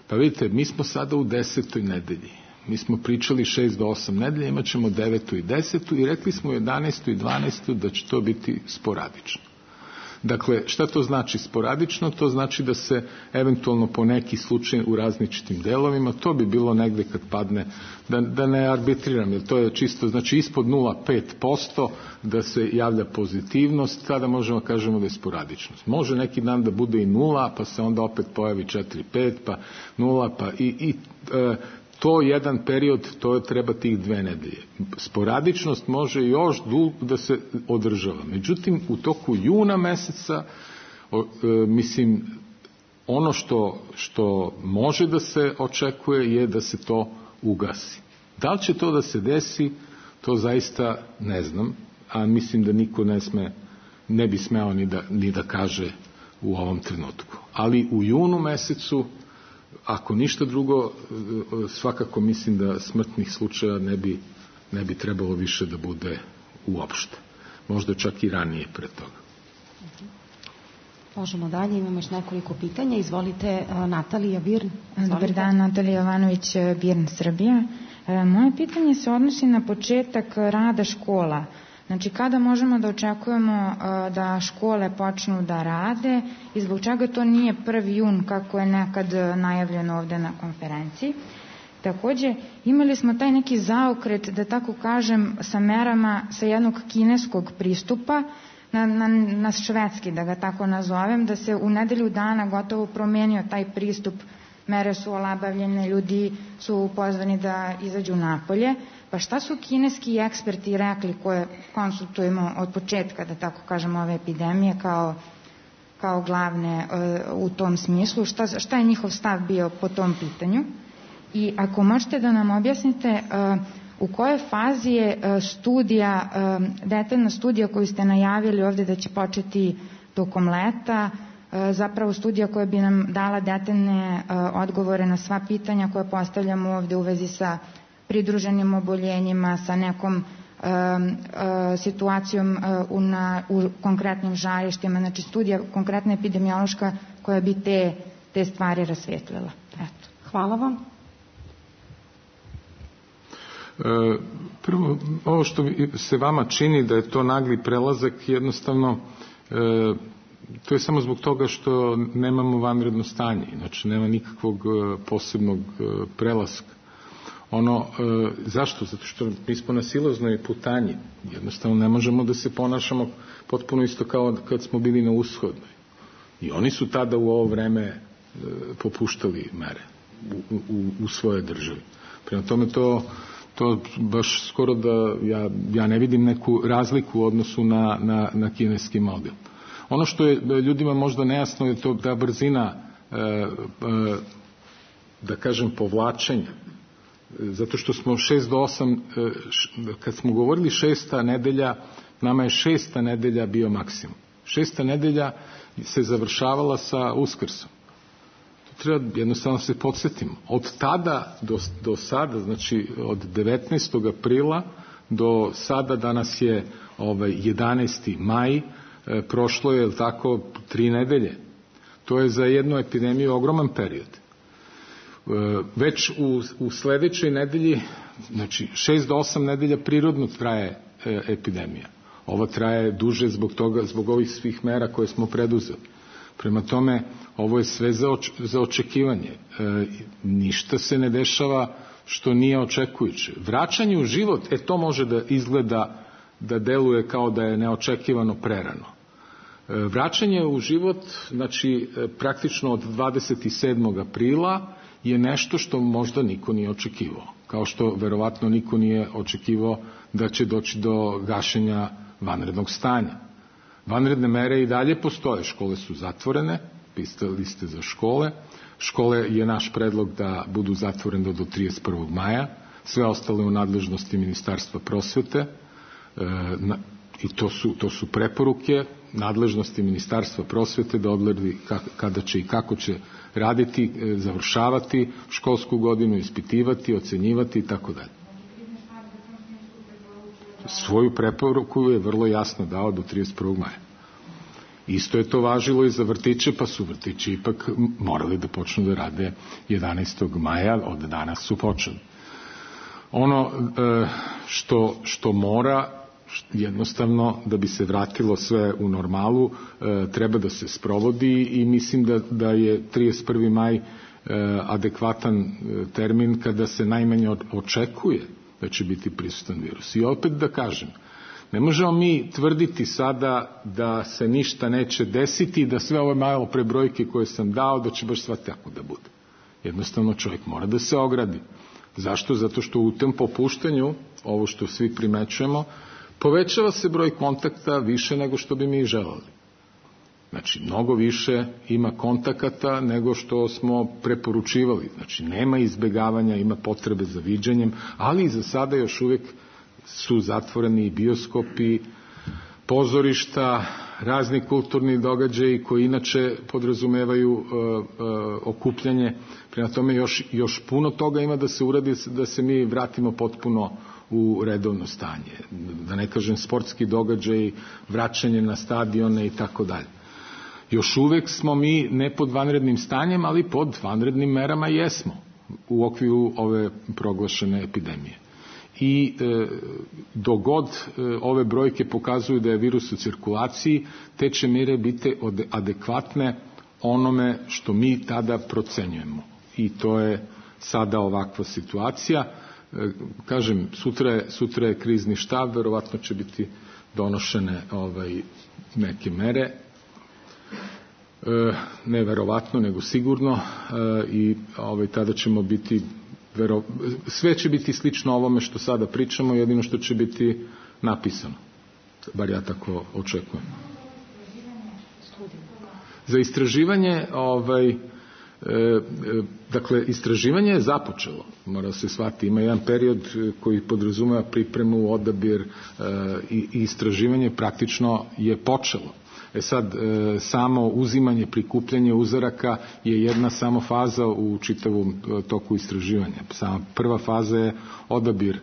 pa vidite, mi smo sada u desetoj nedelji. Mi smo pričali šest do osam nedelja, imat ćemo devetu i desetu i rekli smo jedanaestu i dvanaestu da će to biti sporadično. Dakle, šta to znači sporadično? To znači da se eventualno po neki slučaj u različitim delovima, to bi bilo negde kad padne, da, da ne arbitriram, jer to je čisto, znači ispod nula zarez pet posto da se javlja pozitivnost, tada možemo kažemo da je sporadičnost. Može neki dan da bude i nula, pa se onda opet pojavi četiri, pet, pa nula, pa i, i e, to jedan period, to treba tih dve nedelje. Sporadičnost može još dugo da se održava. Međutim, u toku juna meseca, o, e, mislim, ono što, što može da se očekuje je da se to ugasi. Da li će to da se desi, to zaista ne znam, a mislim da niko ne sme, ne bi smeo ni da, ni da kaže u ovom trenutku. Ali u junu mesecu, ako ništa drugo, svakako mislim da smrtnih slučaja ne bi, ne bi trebalo više da bude uopšte. Možda čak i ranije pre toga. Možemo dalje, imamo još nekoliko pitanja. Izvolite, Natalija Birn. Izvolite. Dobar dan, Natalija Jovanović, Birn, Srbija. Moje pitanje se odnosi na početak rada škola. Znači, kada možemo da očekujemo da škole počnu da rade i zbog čega to nije prvi jun kako je nekad najavljeno ovde na konferenciji. Takođe, imali smo taj neki zaokret, da tako kažem, sa merama sa jednog kineskog pristupa na, na, na švedski, da ga tako nazovem, da se u nedelju dana gotovo promenio taj pristup, mere su olabavljene, ljudi su pozvani da izađu napolje. Pa šta su kineski eksperti rekli koje konsultujemo od početka, da tako kažem, ove epidemije kao, kao glavne uh, u tom smislu? Šta, šta je njihov stav bio po tom pitanju? I ako možete da nam objasnite uh, u kojoj fazi je uh, studija, uh, detaljna studija koju ste najavili ovde da će početi tokom leta, uh, zapravo studija koja bi nam dala detaljne uh, odgovore na sva pitanja koje postavljamo ovde u vezi sa pridruženim oboljenjima, sa nekom uh, uh, situacijom uh, u, na, u konkretnim žarištima, znači studija konkretna epidemiološka koja bi te, te stvari rasvjetlila. Eto. Hvala vam. E, prvo, ovo što se vama čini da je to nagli prelazak, jednostavno e, to je samo zbog toga što nemamo vanredno stanje, znači nema nikakvog posebnog prelaska. Ono, e, zašto? Zato što mi smo na silaznoj putanji, jednostavno ne možemo da se ponašamo potpuno isto kao kad smo bili na ushodnoj. I oni su tada u ovo vreme e, popuštali mere u, u, u svoje državi. Prema tome to to baš skoro da ja, ja ne vidim neku razliku u odnosu na, na, na kineski model. Ono što je ljudima možda nejasno je to da brzina e, e, da kažem povlačenja, zato što smo šest do osam, e, š, kad smo govorili šesta nedelja, nama je šesta nedelja bio maksimum. Šesta nedelja se završavala sa Uskrsom. Treba jednostavno se podsjetimo. Od tada do, do sada, znači od devetnaestog aprila do sada, danas je ovaj, jedanaesti maj, e, prošlo je, tako, tri nedelje. To je za jednu epidemiju ogroman period. E, već u, u sledećoj nedelji, znači šest do osam nedelja prirodno traje e, epidemija. Ova traje duže zbog toga, zbog ovih svih mera koje smo preduzeli. Prema tome, ovo je sve za, oč, za očekivanje. E, ništa se ne dešava što nije očekujuće. Vraćanje u život, e to može da izgleda, da deluje kao da je neočekivano prerano. E, vraćanje u život, znači e, praktično od dvadeset sedmog aprila je nešto što možda niko nije očekivao. Kao što verovatno niko nije očekivao da će doći do gašenja vanrednog stanja. Vanredne mere i dalje postoje, škole su zatvorene, pisali ste za škole, škole je naš predlog da budu zatvorene do trideset prvog maja, sve ostale u nadležnosti Ministarstva prosvete, e, na, i to su, to su preporuke nadležnosti Ministarstva prosvete da odredi kada će i kako će raditi, e, završavati školsku godinu, ispitivati, ocenjivati i tako dalje. Svoju preporuku je vrlo jasno dao do trideset prvog maja. Isto je to važilo i za vrtiće, pa su vrtići ipak morali da počnu da rade jedanaestog maja, od danas su počeli. Ono što, što mora, jednostavno, da bi se vratilo sve u normalu, treba da se sprovodi i mislim da, da je trideset prvi maj adekvatan termin kada se najmanje očekuje da će biti prisutan virus. I opet da kažem, ne možemo mi tvrditi sada da se ništa neće desiti i da sve ove malo prebrojke koje sam dao, da će baš sva tako da bude. Jednostavno čovjek mora da se ogradi. Zašto? Zato što u tom popuštanju, ovo što svi primećujemo, povećava se broj kontakta više nego što bi mi želeli. Znači, mnogo više ima kontakata nego što smo preporučivali. Znači, nema izbegavanja, ima potrebe za viđanjem, ali i za sada još uvijek su zatvoreni bioskopi, pozorišta, razni kulturni događaji koji inače podrazumevaju okupljanje. Prema tome još, još puno toga ima da se uradi da se mi vratimo potpuno u redovno stanje. Da ne kažem sportski događaj, vraćanje na stadione i tako dalje. Još uvek smo mi ne pod vanrednim stanjem, ali pod vanrednim merama jesmo u okviru ove proglašene epidemije. I e, dogod e, ove brojke pokazuju da je virus u cirkulaciji, te će mere biti adekvatne onome što mi tada procenjujemo. I to je sada ovakva situacija. E, kažem, sutra je, sutra je krizni štab, verovatno će biti donošene ovaj, neke mere. E, ne verovatno, nego sigurno. E, I ovaj, tada ćemo biti Vero, sve će biti slično ovome što sada pričamo, jedino što će biti napisano. Bar ja tako očekujem. Za istraživanje, ovaj, e, e, dakle, istraživanje je započelo, mora se shvatiti. Ima jedan period koji podrazumeva pripremu, odabir e, i, i istraživanje praktično je počelo. E sad, e, samo uzimanje, prikupljanje uzoraka je jedna samo faza u čitavom toku istraživanja. Sama prva faza je odabir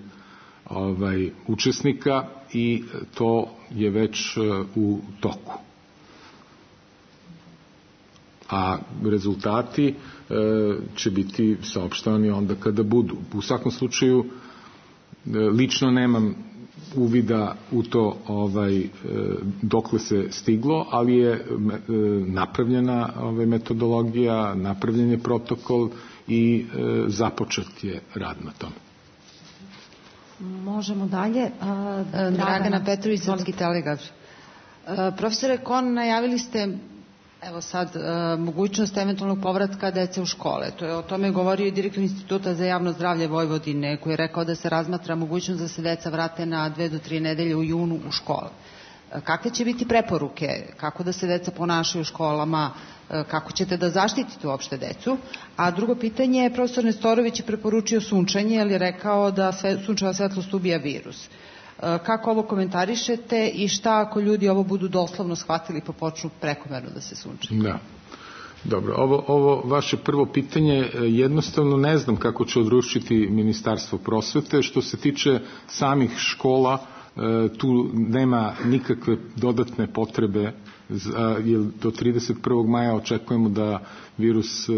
ovaj, učesnika i to je već e, u toku. A rezultati e, će biti saopštavani onda kada budu. U svakom slučaju, e, lično nemam uvida u to ovaj, dokle se stiglo, ali je napravljena ovaj, metodologija, napravljen je protokol i započet je rad na tome. Možemo dalje. Dragana, Dragana Petrović, Srpski telegraf. Profesore Kon, najavili ste evo sad e, mogućnost eventualnog povratka dece u škole. To je o tome govorio i direktor Instituta za javno zdravlje Vojvodine, koji je rekao da se razmatra mogućnost da se deca vrate na dve do tri nedelje u junu u škole. E, kakve će biti preporuke? Kako da se deca ponašaju u školama? E, kako ćete da zaštitite uopšte decu? A drugo pitanje, profesor Nestorović je preporučio sunčanje, jer je rekao da sve, sunčeva svetlost ubija virus. Kako ovo komentarišete i šta ako ljudi ovo budu doslovno shvatili pa počnu prekomerno da se sunčaju? Da. Dobro, ovo, ovo vaše prvo pitanje jednostavno ne znam kako će odručiti Ministarstvo prosvete. Što se tiče samih škola, tu nema nikakve dodatne potrebe, jer do trideset prvog maja očekujemo da virus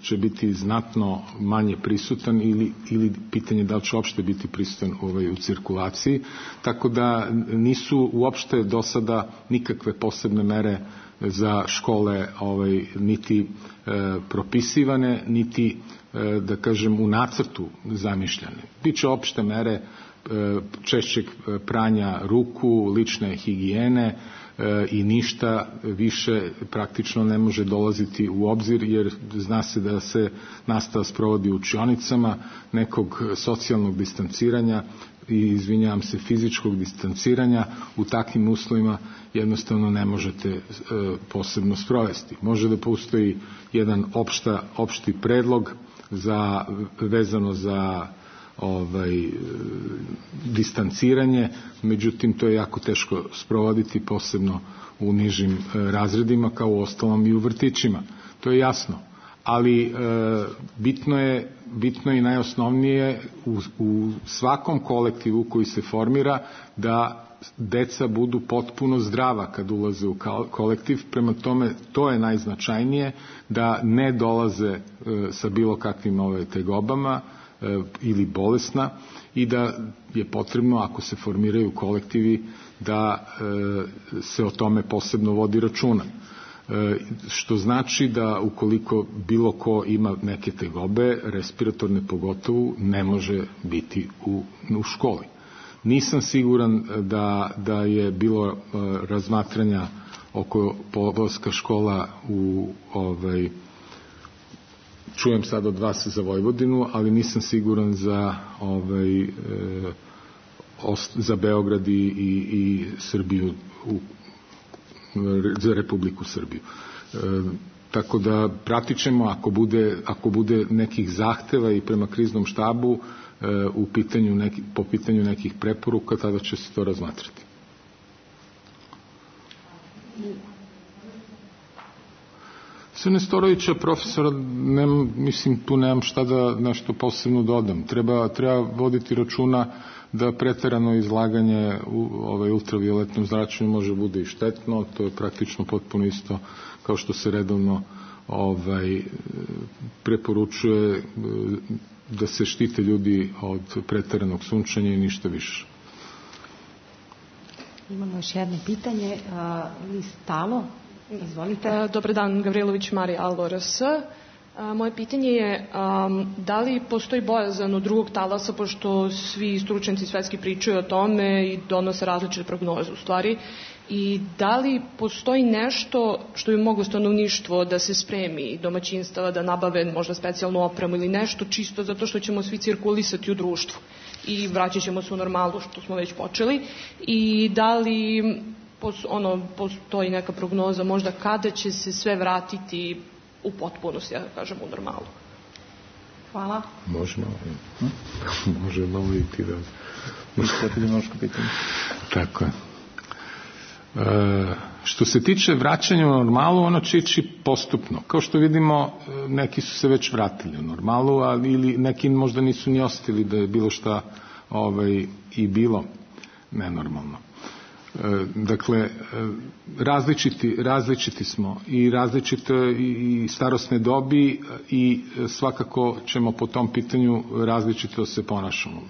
će biti znatno manje prisutan ili, ili pitanje da li će uopšte biti prisutan ovaj, u cirkulaciji, tako da nisu uopšte do sada nikakve posebne mere za škole ovaj, niti e, propisivane, niti e, da kažem u nacrtu zamišljane. Biće opšte mere e, češćeg pranja ruku, lične higijene e, i ništa više praktično ne može dolaziti u obzir, jer zna se da se nastava sprovodi u učionicama, nekog socijalnog distanciranja i izvinjavam se fizičkog distanciranja u takvim uslovima jednostavno ne možete e, posebno sprovesti. Može da postoji jedan opšta, opšti predlog za, vezano za ovaj, e, distanciranje, međutim to je jako teško sprovoditi, posebno u nižim e, razredima, kao u ostalom i u vrtićima. To je jasno. Ali e, bitno je, bitno je i najosnovnije u, u svakom kolektivu koji se formira da deca budu potpuno zdrava kad ulaze u kolektiv, prema tome to je najznačajnije, da ne dolaze e, sa bilo kakvim ove tegobama e, ili bolesna, i da je potrebno, ako se formiraju kolektivi, da e, se o tome posebno vodi računa. Što znači da ukoliko bilo ko ima neke tegobe, respiratorne pogotovo, ne može biti u, u školi. Nisam siguran da, da je bilo uh, razmatranja oko polaska škola u ovaj, čujem sad od vas za Vojvodinu, ali nisam siguran za ovaj, uh, ost, za Beograd i, i, i Srbiju u za Republiku Srbiju. E, tako da pratit ćemo, ako bude, ako bude nekih zahteva i prema kriznom štabu e, u pitanju neki, po pitanju nekih preporuka, tada će se to razmatrati. Sa Nestorovića, profesora, nem, mislim, tu nemam šta da nešto posebno dodam. Treba, treba voditi računa da preterano izlaganje u ovaj ultravioletnom zračenju može bude i štetno, to je praktično potpuno isto kao što se redovno ovaj preporučuje da se štite ljudi od preteranog sunčanja i ništa više. Imamo još jedno pitanje. Listalo, izvolite. Dobar dan, Gavrilović Marija, Alvo R S. Moje pitanje je um, da li postoji bojazan od drugog talasa, pošto svi stručnjaci svetski pričaju o tome i donose različite prognoze u stvari, i da li postoji nešto što bi moglo stanovništvo da se spremi, domaćinstava da nabave možda specijalnu opremu ili nešto čisto zato što ćemo svi cirkulisati u društvu i vraćat ćemo se u normalu što smo već počeli, i da li ono, postoji neka prognoza možda kada će se sve vratiti u potpunosti, ja da kažem, u normalu. Hvala. Može malo, može malo i ti da... Epidemiološko pitanje. Tako je. E, što se tiče vraćanja u normalu, ono će ići postupno. Kao što vidimo, neki su se već vratili u normalu, ali ili neki možda nisu ni ostili da je bilo šta ovaj, i bilo nenormalno. Dakle, različiti, različiti smo i različite i starosne dobi i svakako ćemo po tom pitanju različito se ponašamo.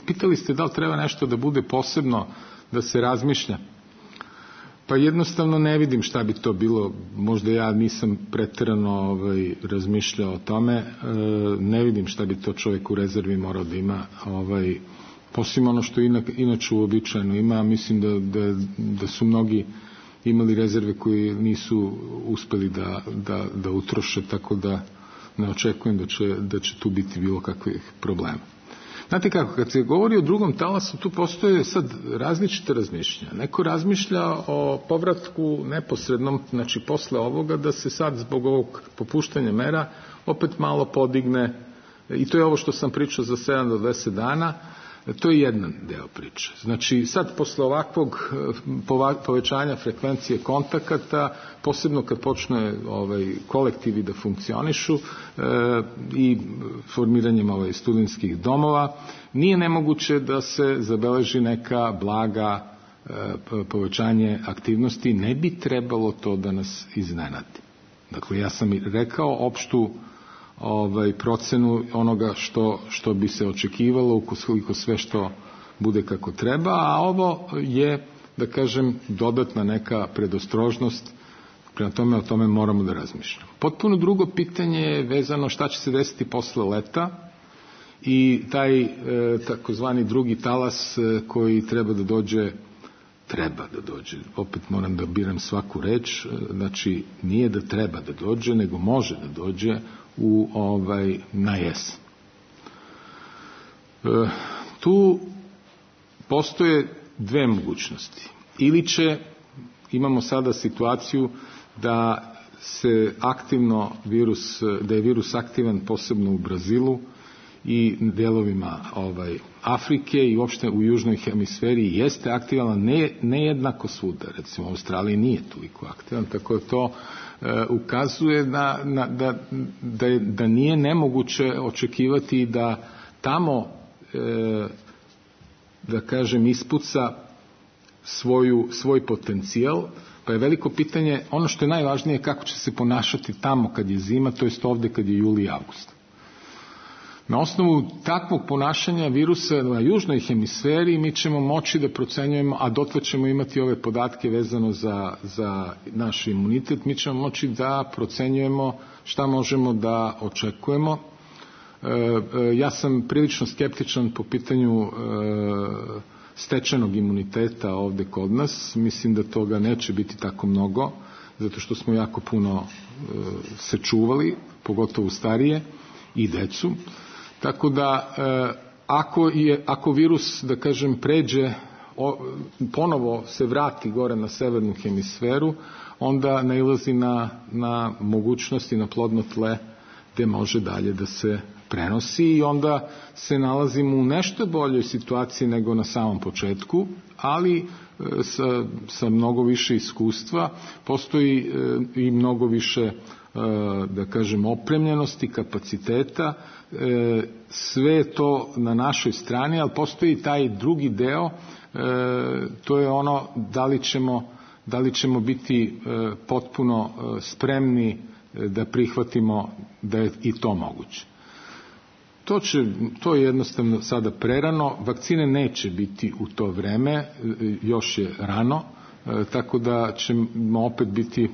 Pitali ste da li treba nešto da bude posebno, da se razmišlja. Pa jednostavno ne vidim šta bi to bilo. Možda ja nisam preterano ovaj, razmišljao o tome. Ne vidim šta bi to čovjek u rezervi morao da ima ovaj, poslije ono što inače uobičajeno ima. Mislim da, da, da su mnogi imali rezerve koji nisu uspeli da, da, da utroše, tako da ne očekujem da će, da će tu biti bilo kakvih problema. Znate kako, kad se govori o drugom talasu, tu postoje sad različite razmišljanja. Neko razmišlja o povratku neposrednom, znači posle ovoga, da se sad zbog ovog popuštanja mera opet malo podigne, i to je ovo što sam pričao za sedam do deset dana. To je jedan deo priče. Znači, sad posle ovakvog povećanja frekvencije kontakata, posebno kad počne ovaj, kolektivi da funkcionišu e, i formiranjem ovaj, studentskih domova, nije nemoguće da se zabeleži neka blaga e, povećanje aktivnosti. Ne bi trebalo to da nas iznenadi. Dakle, ja sam i rekao opštu ovaj, procenu onoga što, što bi se očekivalo ukoliko sve što bude kako treba, a ovo je, da kažem, dodatna neka predostrožnost, prema tome o tome moramo da razmišljamo. Potpuno drugo pitanje je vezano šta će se desiti posle leta i taj e, takozvani drugi talas e, koji treba da dođe treba da dođe. Opet moram da biram svaku reč, znači nije da treba da dođe, nego može da dođe u ovaj na jesen. E, tu postoje dve mogućnosti. Ili će, imamo sada situaciju da se aktivno virus, da je virus aktivan posebno u Brazilu i delovima ovaj, Afrike i uopšte u južnoj hemisferi jeste aktivan, ne, ne jednako svuda. Recimo u Australiji nije toliko aktivan, tako da to e, ukazuje na, na, da, da, je, da nije nemoguće očekivati da tamo e, da kažem ispuca svoju, svoj potencijal, pa je veliko pitanje, ono što je najvažnije je kako će se ponašati tamo kad je zima, to jest ovde kad je juli i avgust. Na osnovu takvog ponašanja virusa na južnoj hemisferi mi ćemo moći da procenjujemo, a dotle ćemo imati ove podatke vezano za, za naš imunitet, mi ćemo moći da procenjujemo šta možemo da očekujemo. E, e, ja sam prilično skeptičan po pitanju e, stečenog imuniteta ovde kod nas. Mislim da toga neće biti tako mnogo, zato što smo jako puno e, se čuvali, pogotovo starije i decu. Tako da, e, ako, je, ako virus, da kažem, pređe, o, ponovo se vrati gore na severnu hemisferu, onda nailazi na, na mogućnosti, na plodno tle, gde može dalje da se prenosi i onda se nalazimo u nešto boljoj situaciji nego na samom početku, ali sa, sa mnogo više iskustva, postoji i mnogo više, da kažem, opremljenosti, kapaciteta, sve je to na našoj strani, ali postoji taj drugi deo, to je ono da li ćemo, da li ćemo biti potpuno spremni da prihvatimo da je i to moguće. To, će, to je jednostavno sada prerano, vakcine neće biti u to vreme, još je rano, tako da ćemo opet biti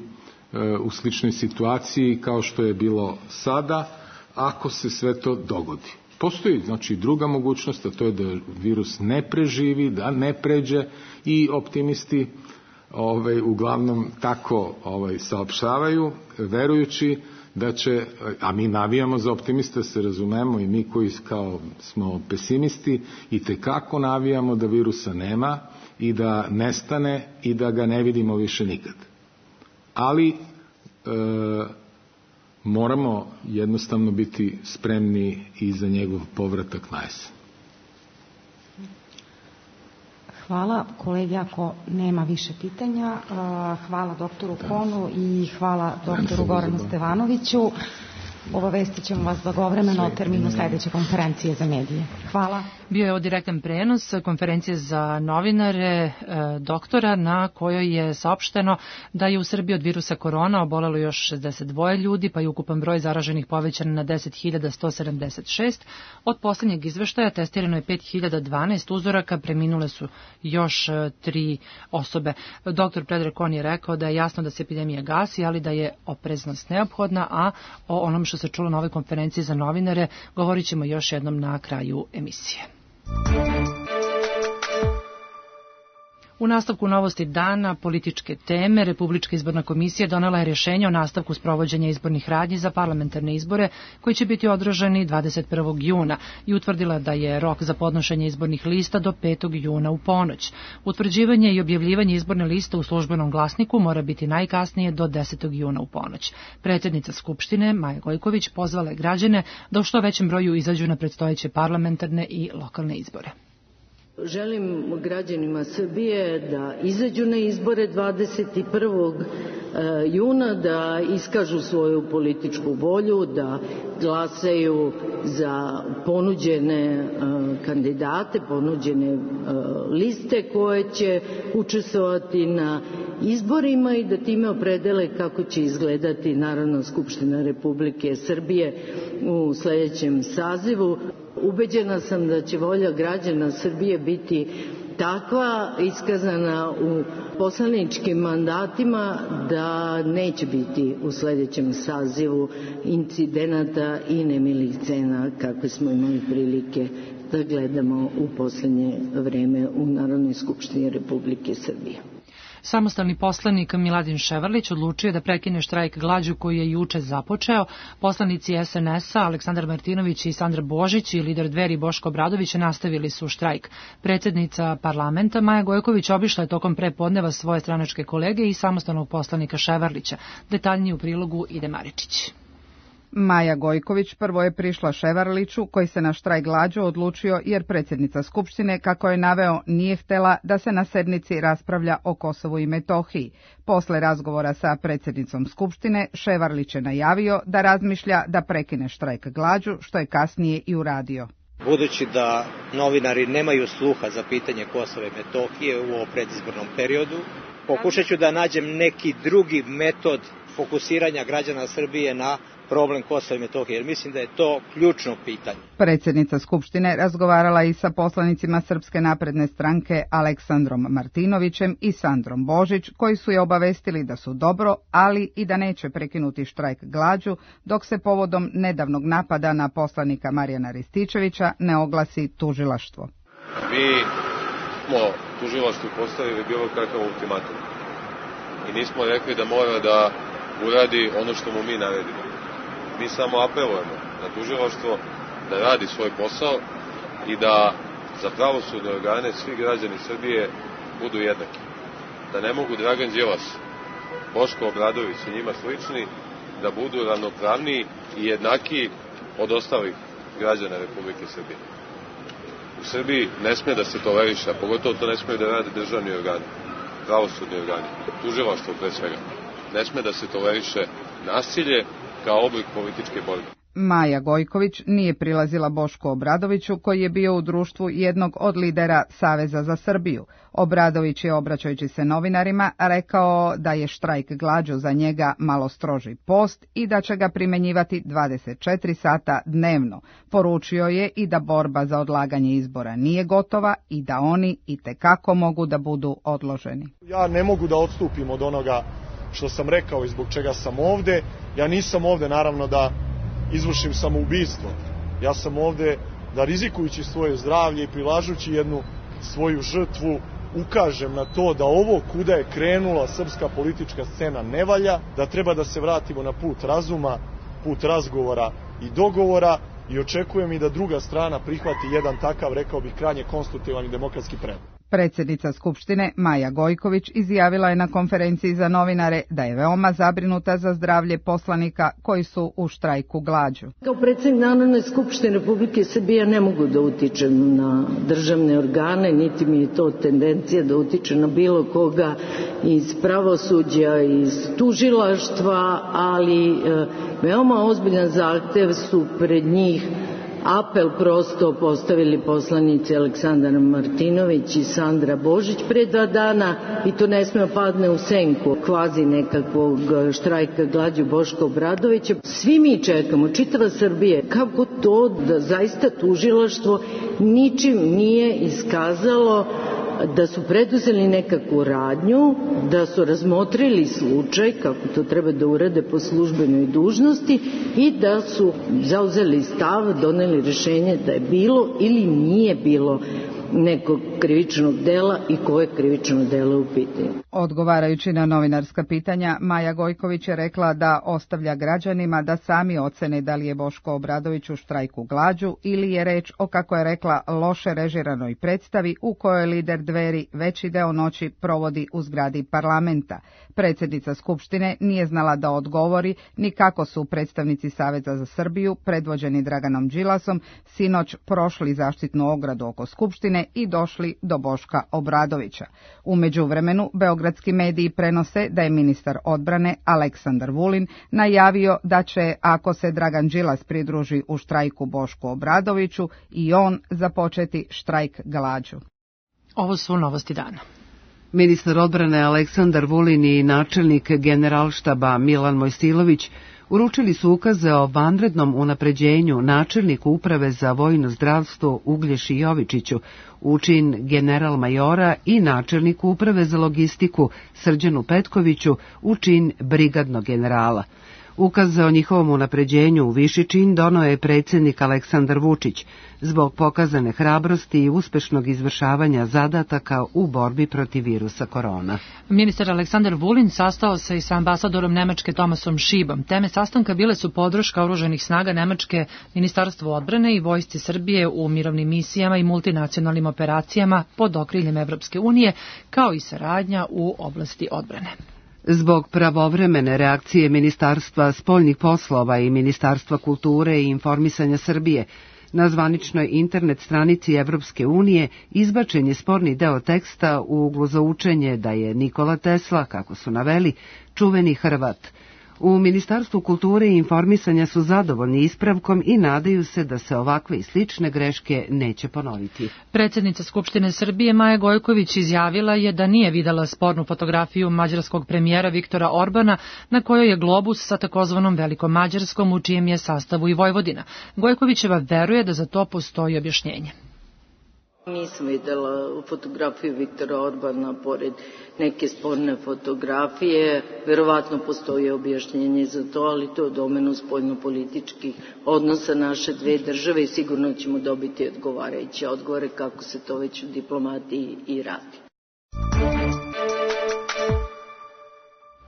u sličnoj situaciji kao što je bilo sada, ako se sve to dogodi. Postoji znači druga mogućnost, a to je da virus ne preživi, da ne pređe i optimisti ovaj, uglavnom tako ovaj, saopštavaju, verujući da će, a mi navijamo za optimiste, se razumemo, i mi koji kao smo pesimisti i tekako navijamo da virusa nema i da nestane i da ga ne vidimo više nikad. Ali e, moramo jednostavno biti spremni i za njegov povratak na jesen. Hvala kolegi, ako nema više pitanja. Hvala doktoru Konu i hvala doktoru Goranu Stevanoviću. Obavestit ćemo vas blagovremeno o terminu sledeće konferencije za medije. Hvala. Bio je ovo direktan prenos konferencije za novinare e, doktora, na kojoj je saopšteno da je u Srbiji od virusa korona obolelo još šezdeset dva ljudi, pa je ukupan broj zaraženih povećan na deset hiljada sto sedamdeset šest. Od poslednjeg izveštaja testirano je pet hiljada dvanaest uzoraka, preminule su još tri osobe. Doktor Predrag Kon je rekao da je jasno da se epidemija gasi, ali da je opreznost neophodna, a o onom što se čulo na ovoj konferenciji za novinare govorit ćemo još jednom na kraju emisije. U nastavku novosti dana, političke teme, Republička izborna komisija donela je rješenje o nastavku sprovođenja izbornih radnji za parlamentarne izbore koji će biti održani dvadeset prvog juna i utvrdila da je rok za podnošenje izbornih lista do petog juna u ponoć. Utvrđivanje i objavljivanje izborne liste u službenom glasniku mora biti najkasnije do desetog juna u ponoć. Predsjednica Skupštine, Maja Gojković, pozvala je građane da u što većem broju izađu na predstojeće parlamentarne i lokalne izbore. Želim građanima Srbije da izađu na izbore dvadeset prvog juna, da iskažu svoju političku volju, da glasaju za ponuđene kandidate, ponuđene liste koje će učestvovati na izborima i da time opredele kako će izgledati Narodna skupština Republike Srbije u sledećem sazivu. Ubeđena sam da će volja građana Srbije biti takva, iskazana u poslaničkim mandatima, da neće biti u sledećem sazivu incidenata i nemilih scena kakve smo imali prilike da gledamo u poslednje vreme u Narodnoj skupštini Republike Srbije. Samostalni poslanik Miladin Ševarlić odlučio da prekine štrajk glađu koji je juče započeo. Poslanici es en es a Aleksandar Martinović i Sandra Božić i lider Dveri Boško Obradović nastavili su štrajk. Predsjednica parlamenta Maja Gojković obišla je tokom prepodneva svoje stranačke kolege i samostalnog poslanika Ševarlića. Detaljnije u prilogu Ide Maričić. Maja Gojković prvo je prišla Ševarliću, koji se na štrajk glađu odlučio jer predsjednica Skupštine, kako je naveo, nije htela da se na sednici raspravlja o Kosovu i Metohiji. Posle razgovora sa predsjednicom Skupštine, Ševarlić je najavio da razmišlja da prekine štrajk glađu, što je kasnije i uradio. Budući da novinari nemaju sluha za pitanje Kosova i Metohije u ovom predizbornom periodu, pokušat ću da nađem neki drugi metod fokusiranja građana Srbije na problem Kosova i Metohije, jer mislim da je to ključno pitanje. Predsjednica Skupštine razgovarala i sa poslanicima Srpske napredne stranke Aleksandrom Martinovićem i Sandrom Božić, koji su je obavestili da su dobro, ali i da neće prekinuti štrajk glađu, dok se povodom nedavnog napada na poslanika Marijana Rističevića ne oglasi tužilaštvo. Mi smo tužilaštvu postavili bilo kakav ultimatum i nismo rekli da mora da uradi ono što mu mi naredimo. Mi samo apelujemo na tužilaštvo da radi svoj posao i da za pravosudne organe svi građani Srbije budu jednaki. Da ne mogu Dragan Đilas, Boško Obradović i njima slični da budu ravnopravniji i jednakiji od ostalih građana Republike Srbije. U Srbiji ne sme da se toleriše, a pogotovo to ne sme da rade državni organi, pravosudni organi, tužilaštvo pre svega. Ne sme da se toleriše nasilje kao oblik političke borbe. Maja Gojković nije prilazila Bošku Obradoviću, koji je bio u društvu jednog od lidera Saveza za Srbiju. Obradović je, obraćajući se novinarima, rekao da je štrajk glađu za njega malo stroži post i da će ga primenjivati dvadeset četiri sata dnevno. Poručio je i da borba za odlaganje izbora nije gotova i da oni itekako mogu da budu odloženi. Ja ne mogu da odstupim od onoga što sam rekao i zbog čega sam ovde. Ja nisam ovde, naravno, da izvršim samoubistvo. Ja sam ovde da, rizikujući svoje zdravlje i prilažući jednu svoju žrtvu, ukažem na to da ovo kuda je krenula srpska politička scena ne valja, da treba da se vratimo na put razuma, put razgovora i dogovora, i očekujem i da druga strana prihvati jedan takav, rekao bih, krajnje konstruktivan i demokratski predlog. Predsjednica Skupštine Maja Gojković izjavila je na konferenciji za novinare da je veoma zabrinuta za zdravlje poslanika koji su u štrajku glađu. Kao predsjednik Narodne skupštine Republike Srbije ne mogu da utičem na državne organe, niti mi je to tendencija da utiče na bilo koga iz pravosuđa, iz tužilaštva, ali e, veoma ozbiljan zahtev su pred njih apel prosto postavili poslanici Aleksandar Martinović i Sandra Božić pre dva dana, i to ne sme padne u senku kvazi nekakvog štrajka glađu Boška Obradovića. Svi mi čekamo, čitava Srbije, kako to da zaista tužilaštvo ničim nije iskazalo da su preduzeli nekakvu radnju, da su razmotrili slučaj kako to treba da urade po službenoj dužnosti i da su zauzeli stav, doneli rešenje da je bilo ili nije bilo nekog krivičnog dela i koje krivično delo u pitanju. Odgovarajući na novinarska pitanja, Maja Gojković je rekla da ostavlja građanima da sami ocene da li je Boško Obradović u štrajku glađu ili je reč o, kako je rekla, loše režiranoj predstavi u kojoj lider Dveri veći deo noći provodi u zgradi parlamenta. Predsjednica Skupštine nije znala da odgovori ni kako su predstavnici Saveza za Srbiju, predvođeni Draganom Đilasom, sinoć prošli zaštitnu ogradu oko Skupštine i došli do Boška Obradovića. U međuvremenu, beogradski mediji prenose da je ministar odbrane Aleksandar Vulin najavio da će, ako se Dragan Đilas pridruži u štrajku Bošku Obradoviću, i on započeti štrajk glađu. Ovo su novosti dana. Ministar odbrane Aleksandar Vulin i načelnik Generalštaba Milan Mojsilović uručili su ukaze o vanrednom unapređenju načelniku Uprave za vojno zdravstvo Uglješi Jovičiću, u čin general majora, i načelniku Uprave za logistiku Srđanu Petkoviću, u čin brigadnog generala. Ukaze o njihovom unapređenju u viši čin doneo je predsjednik Aleksandar Vučić zbog pokazane hrabrosti i uspešnog izvršavanja zadataka u borbi protiv virusa korona. Ministar Aleksandar Vulin sastao se i sa ambasadorom Nemačke Tomasom Šibom. Teme sastanka bile su podrška oružanih snaga Nemačke, Ministarstvu odbrane i Vojsci Srbije u mirovnim misijama i multinacionalnim operacijama pod okriljem Evropske unije, kao i saradnja u oblasti odbrane. Zbog pravovremene reakcije Ministarstva spoljnih poslova i Ministarstva kulture i informisanja Srbije, na zvaničnoj internet stranici Evropske unije izbačen je sporni deo teksta u uglu za učenje da je Nikola Tesla, kako su naveli, čuveni Hrvat. U Ministarstvu kulture i informisanja su zadovoljni ispravkom i nadaju se da se ovakve i slične greške neće ponoviti. Predsjednica Skupštine Srbije Maja Gojković izjavila je da nije videla spornu fotografiju mađarskog premijera Viktora Orbana na kojoj je globus sa takozvanom Velikom Mađarskom, u čijem je sastavu i Vojvodina. Gojkovićeva veruje da za to postoji objašnjenje. Nisam videla fotografiju Viktora Orbana pored neke sporne fotografije. Verovatno postoji objašnjenje za to, ali to je u domenu spoljnopolitičkih odnosa naše dve države i sigurno ćemo dobiti odgovarajuće odgovore kako se to već u diplomatiji i radi.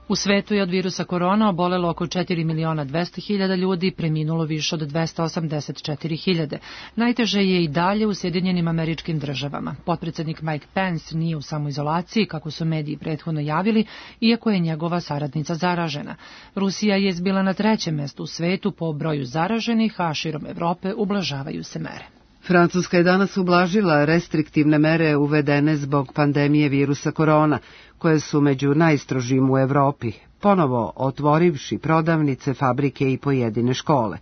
U svetu je od virusa korona obolelo oko četiri miliona dvesta hiljada ljudi, preminulo više od dvesta osamdeset četiri hiljade. Najteže je i dalje u Sjedinjenim Američkim Državama. Potpredsednik Mike Pence nije u samoizolaciji, kako su mediji prethodno javili, iako je njegova saradnica zaražena. Rusija je izbila na trećem mestu u svetu po broju zaraženih, a širom Evrope ublažavaju se mere. Francuska je danas ublažila restriktivne mere uvedene zbog pandemije virusa korona, koje su među najstrožim u Evropi, ponovo otvorivši prodavnice, fabrike i pojedine škole.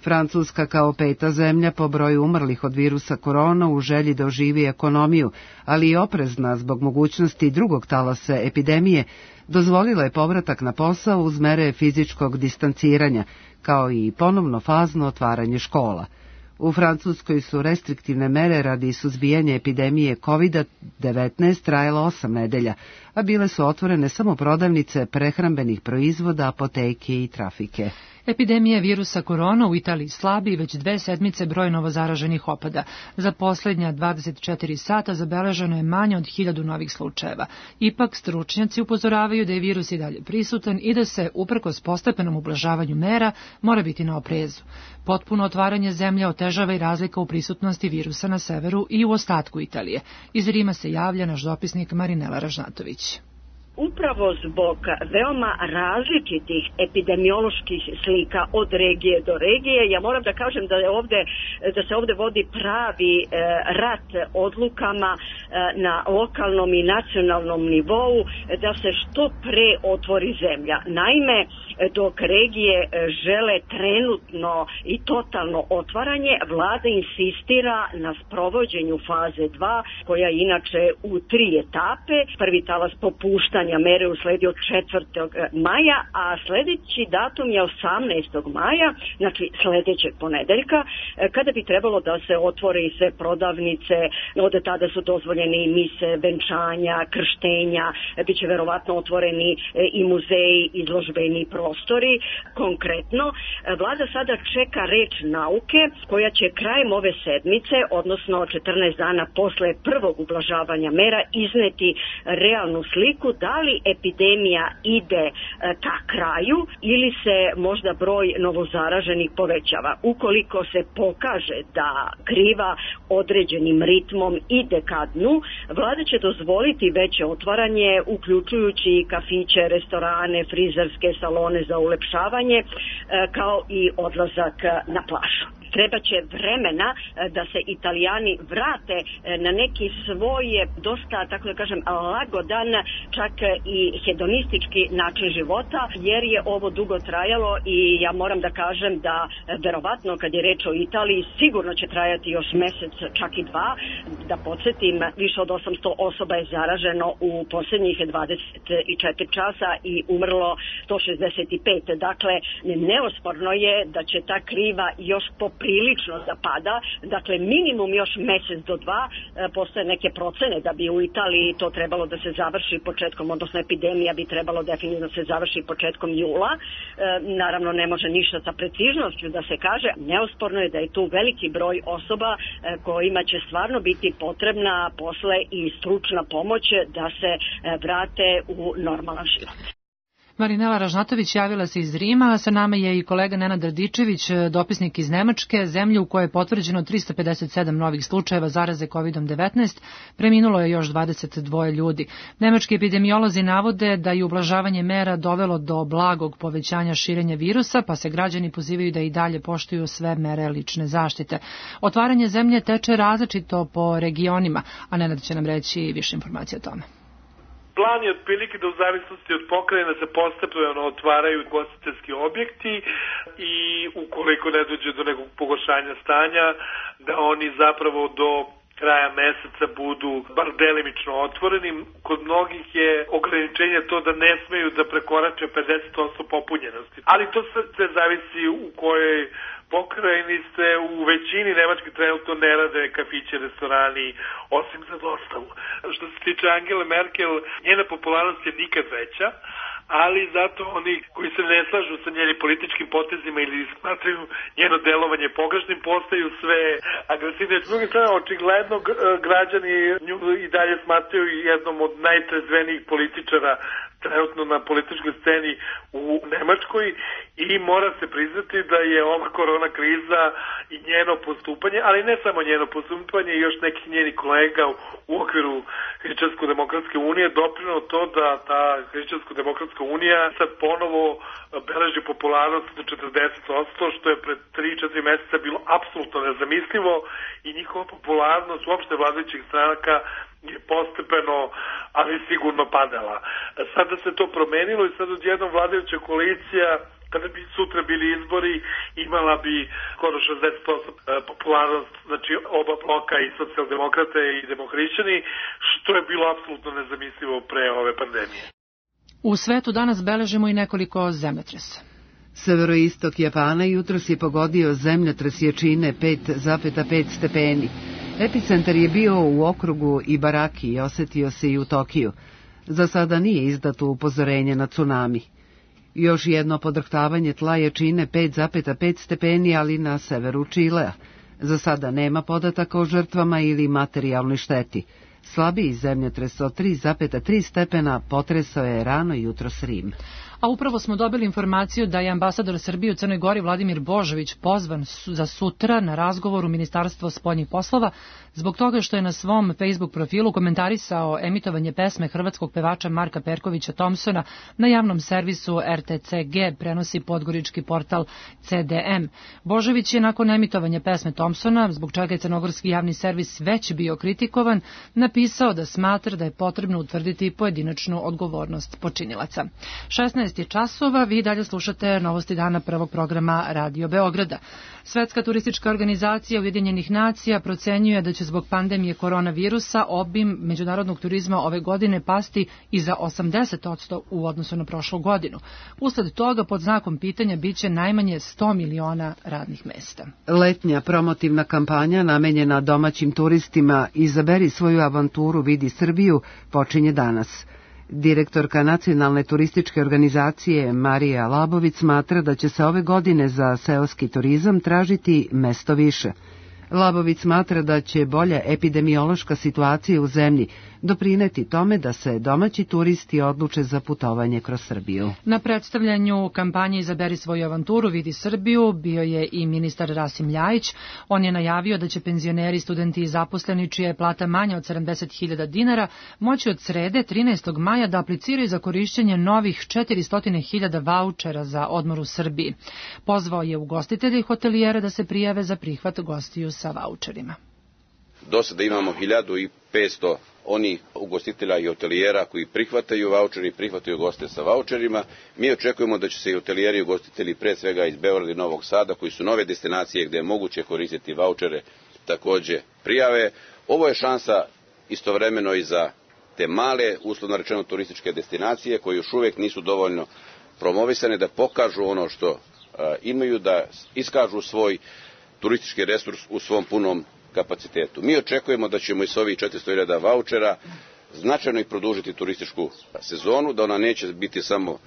Francuska kao peta zemlja po broju umrlih od virusa korona u želji da oživi ekonomiju, ali i oprezna zbog mogućnosti drugog talasa epidemije, dozvolila je povratak na posao uz mere fizičkog distanciranja, kao i ponovno fazno otvaranje škola. U Francuskoj su restriktivne mere radi suzbijanja epidemije kovid devetnaest trajala osam nedelja, a bile su otvorene samo prodavnice prehrambenih proizvoda, apoteke i trafike. Epidemija virusa korona u Italiji slabi i već dve sedmice broj novozaraženih opada. Za poslednja dvadeset četiri sata zabeleženo je manje od hiljadu novih slučajeva. Ipak, stručnjaci upozoravaju da je virus i dalje prisutan i da se, uprkos postepenom ublažavanju mera, mora biti na oprezu. Potpuno otvaranje zemlje otežava i razlika u prisutnosti virusa na severu i u ostatku Italije. Iz Rima se javlja naš dopisnik Marinela Ražnatović. Upravo zbog veoma različitih epidemioloških slika od regije do regije, ja moram da kažem da je ovde, da se ovde vodi pravi e, rat odlukama e, na lokalnom i nacionalnom nivou da se što pre otvori zemlja. Naime, dok regije žele trenutno i totalno otvaranje, vlada insistira na sprovođenju faze dva, koja je inače u tri etape. Prvi talas popuštanja mere usledi od četvrtog maja, a sledeći datum je osamnaestog maja, znači sledećeg ponedeljka, kada bi trebalo da se otvore i sve prodavnice, od tada su dozvoljene i mise, venčanja, krštenja, biće verovatno otvoreni i muzeji, izložbeni prostori. Konkretno, vlada sada čeka reč nauke, koja će krajem ove sedmice, odnosno četrnaest dana posle prvog ublažavanja mera, izneti realnu sliku da li epidemija ide ka kraju ili se možda broj novozaraženih povećava. Ukoliko se pokaže da kriva određenim ritmom ide ka dnu, vlada će dozvoliti veće otvaranje, uključujući kafiće, restorane, frizerske salone za ulepšavanje, kao i odlazak na plažu. Treba će vremena da se Italijani vrate na neki svoj dosta, tako da kažem, lagodan, čak i hedonistički način života, jer je ovo dugo trajalo i ja moram da kažem da verovatno kad je reč o Italiji sigurno će trajati još mesec, čak i dva. Da podsjetim, više od osamsto osoba je zaraženo u posljednjih dvadeset četiri časa i umrlo sto šezdeset pet. Dakle, neosporno je da će ta kriva još po prilično da pada, dakle minimum još mesec do dva, postoje neke procene da bi u Italiji to trebalo da se završi početkom, odnosno epidemija bi trebalo definitivno da se završi početkom jula. E, naravno ne može ništa sa precižnošću da se kaže, neosporno je da je tu veliki broj osoba e, kojima će stvarno biti potrebna posle i stručna pomoć da se e, vrate u normalan život. Marinela Ražnatović javila se iz Rima, a sa nama je i kolega Nenad Radičević, dopisnik iz Nemačke, zemlje u kojoj je potvrđeno trista pedeset sedam novih slučajeva zaraze kovid devetnaest, preminulo je još dvadeset dva ljudi. Nemački epidemiolozi navode da je ublažavanje mera dovelo do blagog povećanja širenja virusa, pa se građani pozivaju da i dalje poštuju sve mere lične zaštite. Otvaranje zemlje teče različito po regionima, a Nenad će nam reći više informacije o tome. Plan je otprilike da u zavisnosti od pokrajina se postepeno otvaraju ugostiteljski objekti i ukoliko ne dođe do nekog pogoršanja stanja, da oni zapravo do kraja meseca budu bar delimično otvoreni. Kod mnogih je ograničenje to da ne smeju da prekorače pedeset posto popunjenosti. Ali to sve zavisi u kojoj pokrajini se u većini Nemačke trenutno ne rade kafiće, restorani, osim za dostavu. Što se tiče Angele Merkel, njena popularnost je nikad veća, ali zato oni koji se ne slažu sa njenim političkim potezima ili smatraju njeno delovanje pogrešnim, postaju sve agresivnije. S druge strane, očigledno građani nju i dalje smatraju jednom od najtrezvenijih političara trenutno na političkoj sceni u Nemačkoj i mora se priznati da je ova korona kriza i njeno postupanje, ali ne samo njeno postupanje i još nekih njenih kolega u okviru Hrišćansko-demokratske unije doprinelo to da ta Hrišćansko-demokratska unija sad ponovo beleži popularnost do četrdeset posto, što je pred tri do četiri meseca bilo apsolutno nezamislivo i njihova popularnost uopšte vladajućih stranaka je postepeno, ali sigurno padala. Sada se to promenilo i sad odjednom vladajuća koalicija, kada bi sutra bili izbori, imala bi skoro šezdeset posto popularnost, znači oba bloka, i socijaldemokrate i demohrišćani, što je bilo apsolutno nezamislivo pre ove pandemije. U svetu danas beležimo i nekoliko zemljotresa. Severoistok Japana jutros je pogodio zemljotres jačine pet zarez pet stepeni. Epicentar je bio u okrugu Ibaraki i osetio se i u Tokiju. Za sada nije izdato upozorenje na tsunami. Još jedno podrhtavanje tla jačine pet zarez pet stepeni, ali na severu Čilea. Za sada nema podataka o žrtvama ili materijalnoj šteti. Slabiji zemljotres od tri zarez tri stepena potresao je rano jutros Rim. A upravo smo dobili informaciju da je ambasador Srbije u Crnoj Gori Vladimir Božović pozvan za sutra na razgovor u Ministarstvo spoljnih poslova zbog toga što je na svom Facebook profilu komentarisao emitovanje pesme hrvatskog pevača Marka Perkovića Thompsona na javnom servisu R T C G, prenosi podgorički portal C D M. Božović je nakon emitovanja pesme Thompsona, zbog čega je crnogorski javni servis već bio kritikovan, napisao da smatra da je potrebno utvrditi pojedinačnu odgovornost počinilaca. šesnaest je časova, vi dalje slušate novosti dana prvog programa Radio Beograda. Svetska turistička organizacija Ujedinjenih nacija procenjuje da će zbog pandemije koronavirusa obim međunarodnog turizma ove godine pasti i za osamdeset posto u odnosu na prošlu godinu. Usled toga pod znakom pitanja biće najmanje sto miliona radnih mesta. Letnja promotivna kampanja namenjena domaćim turistima Izaberi svoju avanturu, vidi Srbiju počinje danas. Direktorka Nacionalne turističke organizacije Marija Labović smatra da će se ove godine za seoski turizam tražiti mesto više. Labović smatra da će bolja epidemiološka situacija u zemlji doprineti tome da se domaći turisti odluče za putovanje kroz Srbiju. Na predstavljanju kampanje Izaberi svoju avanturu, vidi Srbiju bio je i ministar Rasim Ljajić. On je najavio da će penzioneri, studenti i zaposleni čija je plata manja od sedamdeset hiljada dinara moći od srede trinaestog maja da apliciraju za korišćenje novih četiristo hiljada vaučera za odmor u Srbiji. Pozvao je ugostitelje i hotelijere da se prijave za prihvat gostiju sa vaučerima. Do sada imamo hiljadu petsto onih ugostitelja i hotelijera koji prihvataju vaučeri i prihvataju goste sa vaučerima. Mi očekujemo da će se i hotelijeri i ugostitelji, pre svega iz Beograda i Novog Sada, koji su nove destinacije gde je moguće koristiti vaučere, takođe prijave. Ovo je šansa istovremeno i za te male, uslovno rečeno turističke destinacije, koje još uvek nisu dovoljno promovisane, da pokažu ono što a, imaju, da iskažu svoj turistički resurs u svom punom kapacitetu. Mi očekujemo da ćemo i sa ovih četiristo hiljada vaučera značajno i produžiti turističku sezonu, da ona neće biti samo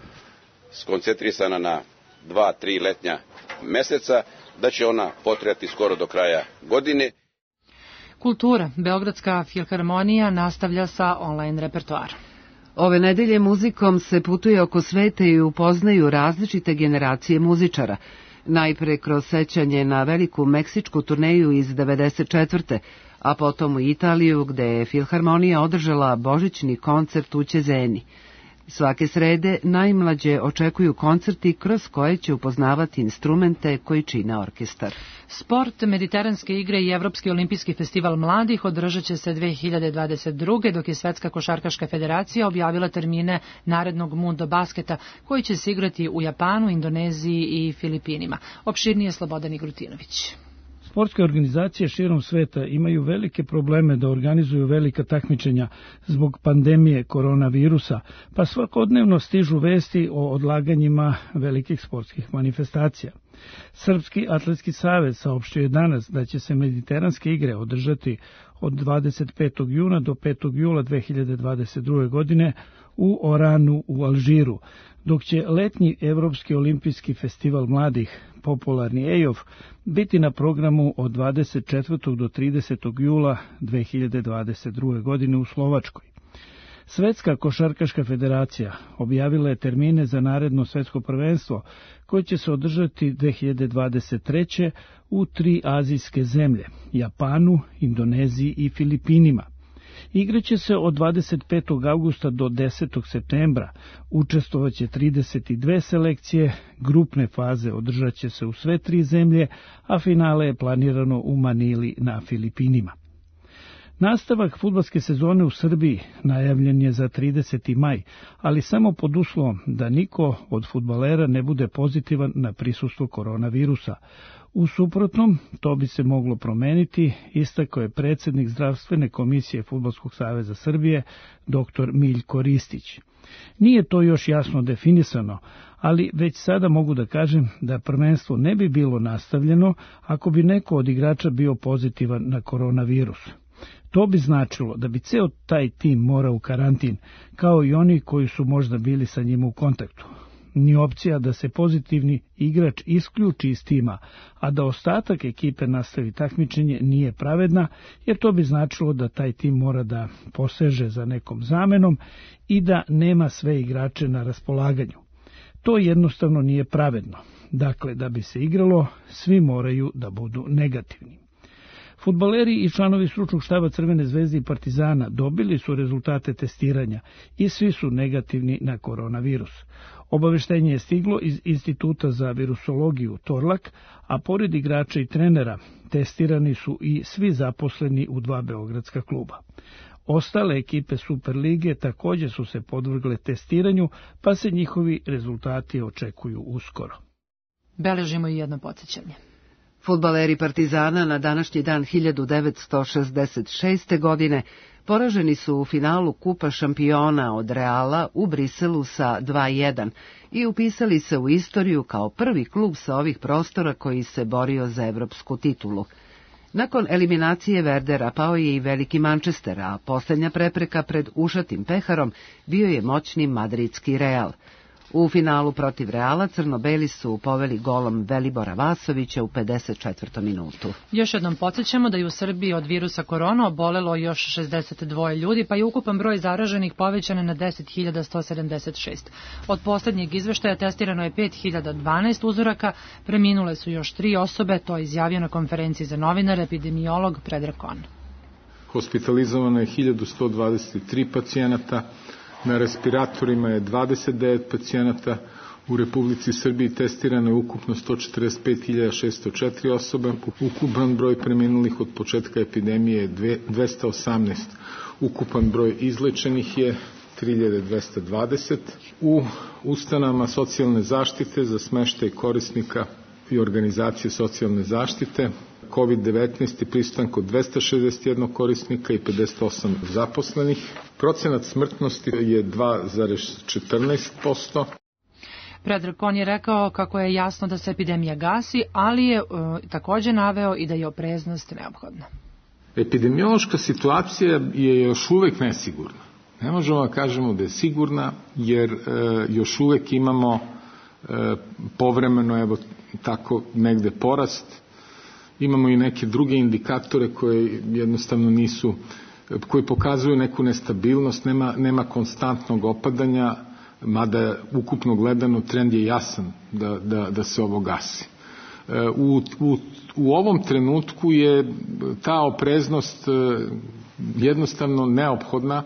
skoncentrisana na dva, tri letnja meseca, da će ona potrajati skoro do kraja godine. Kultura. Beogradska filharmonija nastavlja sa online repertoarom. Ove nedelje muzikom se putuje oko sveta i upoznaju različite generacije muzičara. Najpre kroz sećanje na veliku meksičku turneju iz devedeset četvrte. a potom u Italiju, gde je filharmonija održala božićni koncert u Ćezeni. Svake srede najmlađe očekuju koncerti kroz koje će upoznavati instrumente koji čine orkestar. Sport, Mediteranske igre i Evropski olimpijski festival mladih održat će se dve hiljade dvadeset druge. dok je Svetska košarkaška federacija objavila termine narednog Mundo basketa koji će se igrati u Japanu, Indoneziji i Filipinima. Opširnije Slobodan Igrutinović. Sportske organizacije širom sveta imaju velike probleme da organizuju velika takmičenja zbog pandemije koronavirusa, pa svakodnevno stižu vesti o odlaganjima velikih sportskih manifestacija. Srpski atletski savez saopštio je danas da će se Mediteranske igre održati od dvadeset petog juna do petog jula dve hiljade dvadeset druge. godine u Oranu u Alžiru, dok će letnji Evropski olimpijski festival mladih, popularni E I O F, biti na programu od dvadeset četvrtog do tridesetog jula dve hiljade dvadeset druge. godine u Slovačkoj. Svetska košarkaška federacija objavila je termine za naredno svetsko prvenstvo koje će se održati dve hiljade dvadeset treće. u tri azijske zemlje, Japanu, Indoneziji i Filipinima. Igraće se od dvadeset petog avgusta do desetog septembra, učestvovaće trideset dve selekcije, grupne faze održat će se u sve tri zemlje, a finale je planirano u Manili na Filipinima. Nastavak fudbalske sezone u Srbiji najavljen je za trideseti maj, ali samo pod uslovom da niko od fudbalera ne bude pozitivan na prisustvo koronavirusa. U suprotnom, to bi se moglo promeniti, istakao je predsjednik zdravstvene komisije Fudbalskog saveza Srbije, doktor Miljko Ristić. Nije to još jasno definisano, ali već sada mogu da kažem da prvenstvo ne bi bilo nastavljeno ako bi neko od igrača bio pozitivan na koronavirus. To bi značilo da bi ceo taj tim morao u karantin, kao i oni koji su možda bili sa njim u kontaktu. Ni opcija da se pozitivni igrač isključi iz tima, a da ostatak ekipe nastavi takmičenje nije pravedna, jer to bi značilo da taj tim mora da poseže za nekom zamenom i da nema sve igrače na raspolaganju. To jednostavno nije pravedno. Dakle, da bi se igralo, svi moraju da budu negativni. Fudbaleri i članovi stručnog štaba Crvene zvezde i Partizana dobili su rezultate testiranja i svi su negativni na koronavirus. Obaveštenje je stiglo iz Instituta za virusologiju Torlak, a pored igrača i trenera testirani su i svi zaposleni u dva beogradska kluba. Ostale ekipe Superlige također su se podvrgle testiranju, pa se njihovi rezultati očekuju uskoro. Beležimo i jedno podsjećanje. Fudbaleri Partizana na današnji dan hiljadu devetsto šezdeset šeste. godine poraženi su u finalu Kupa šampiona od Reala u Briselu sa dva jedan i upisali se u istoriju kao prvi klub sa ovih prostora koji se borio za evropsku titulu. Nakon eliminacije Verdera pao je i veliki Manchester, a posljednja prepreka pred ušatim peharom bio je moćni madridski Real. U finalu protiv Reala crno-beli su poveli golom Velibora Vasovića u pedeset četvrtoj minutu. Još jednom podsjećamo da je u Srbiji od virusa korona obolelo još šezdeset dva ljudi, pa je ukupan broj zaraženih povećan na deset hiljada sto sedamdeset šest. Od posljednjeg izveštaja testirano je pet hiljada dvanaest uzoraka, preminule su još tri osobe, to je izjavio na konferenciji za novinare epidemiolog Predrag Kon. Hospitalizovano je hiljadu sto dvadeset tri pacijenata, na respiratorima je dvadeset devet pacijenata, u Republici Srbiji testirano je ukupno sto četrdeset pet hiljada šesto četiri osobe, ukupan broj preminulih od početka epidemije je dvesta osamnaest, ukupan broj izlečenih je tri hiljade dvesta dvadeset. U ustanovama socijalne zaštite za smeštaj korisnika i organizacije socijalne zaštite kovid devetnaest je prisutan kod dvesta šezdeset jedan korisnika i pedeset osam zaposlenih. Procenat smrtnosti je dva zarez četrnaest posto. Predrag Kon je rekao kako je jasno da se epidemija gasi, ali je uh, također naveo i da je opreznost neophodna. Epidemiološka situacija je još uvek nesigurna. Ne možemo da kažemo da je sigurna, jer uh, još uvek imamo uh, povremeno, evo tako negde porast. Imamo i neke druge indikatore koje jednostavno nisu, koji pokazuju neku nestabilnost, nema, nema konstantnog opadanja, mada ukupno gledano trend je jasan da, da, da se ovo gasi. U, u, u ovom trenutku je ta opreznost jednostavno neophodna,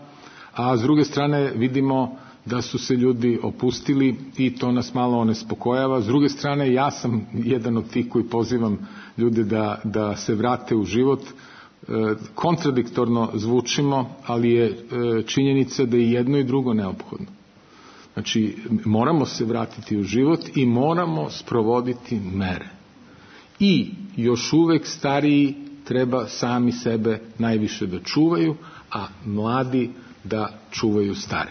a s druge strane vidimo da su se ljudi opustili i to nas malo onespokojava. S druge strane, ja sam jedan od tih koji pozivam ljude da, da se vrate u život. E, kontradiktorno zvučimo, ali je e, činjenica da je jedno i drugo neophodno. Znači, moramo se vratiti u život i moramo sprovoditi mere. I još uvek stariji treba sami sebe najviše da čuvaju, a mladi da čuvaju stare.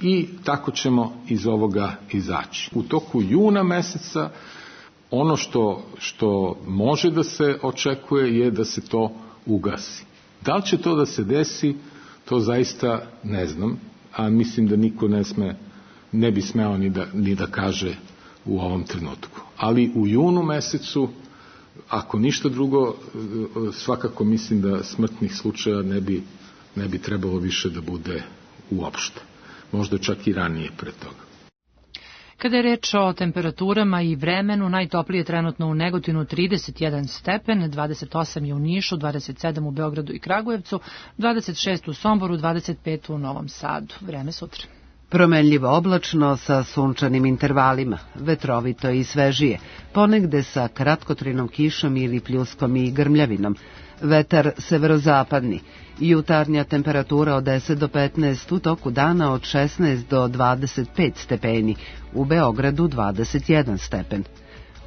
I tako ćemo iz ovoga izaći. U toku juna meseca ono što, što može da se očekuje je da se to ugasi. Da li će to da se desi, to zaista ne znam, a mislim da niko ne, sme, ne bi smeo ni da, ni da kaže u ovom trenutku. Ali u junu mesecu, ako ništa drugo, svakako mislim da smrtnih slučaja ne bi, ne bi trebalo više da bude uopšte. Možda čak i ranije pre toga. Kada je reč o temperaturama i vremenu, najtoplije je trenutno u Negotinu trideset jedan stepen, dvadeset osam je u Nišu, dvadeset sedam u Beogradu i Kragujevcu, dvadeset šest u Somboru, dvadeset pet u Novom Sadu. Vreme sutra. Promenljivo oblačno sa sunčanim intervalima, vetrovito i svežije, ponegde sa kratkotrajnom kišom ili pljuskom i grmljavinom. Vetar severozapadni, jutarnja temperatura od deset do petnaest, u toku dana od šesnaest do dvadeset pet stepeni, u Beogradu dvadeset jedan stepen.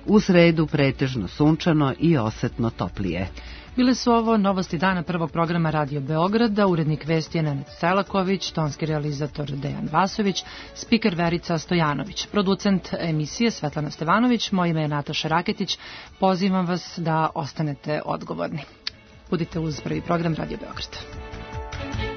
U sredu pretežno sunčano i osetno toplije. Bile su ovo novosti dana prvog programa Radio Beograda, urednik vesti je Nenad Selaković, tonski realizator Dejan Vasović, spiker Verica Stojanović, producent emisije Svetlana Stevanović, moje ime je Nataša Raketić, pozivam vas da ostanete odgovorni. Budite uz prvi program Radio Beograda.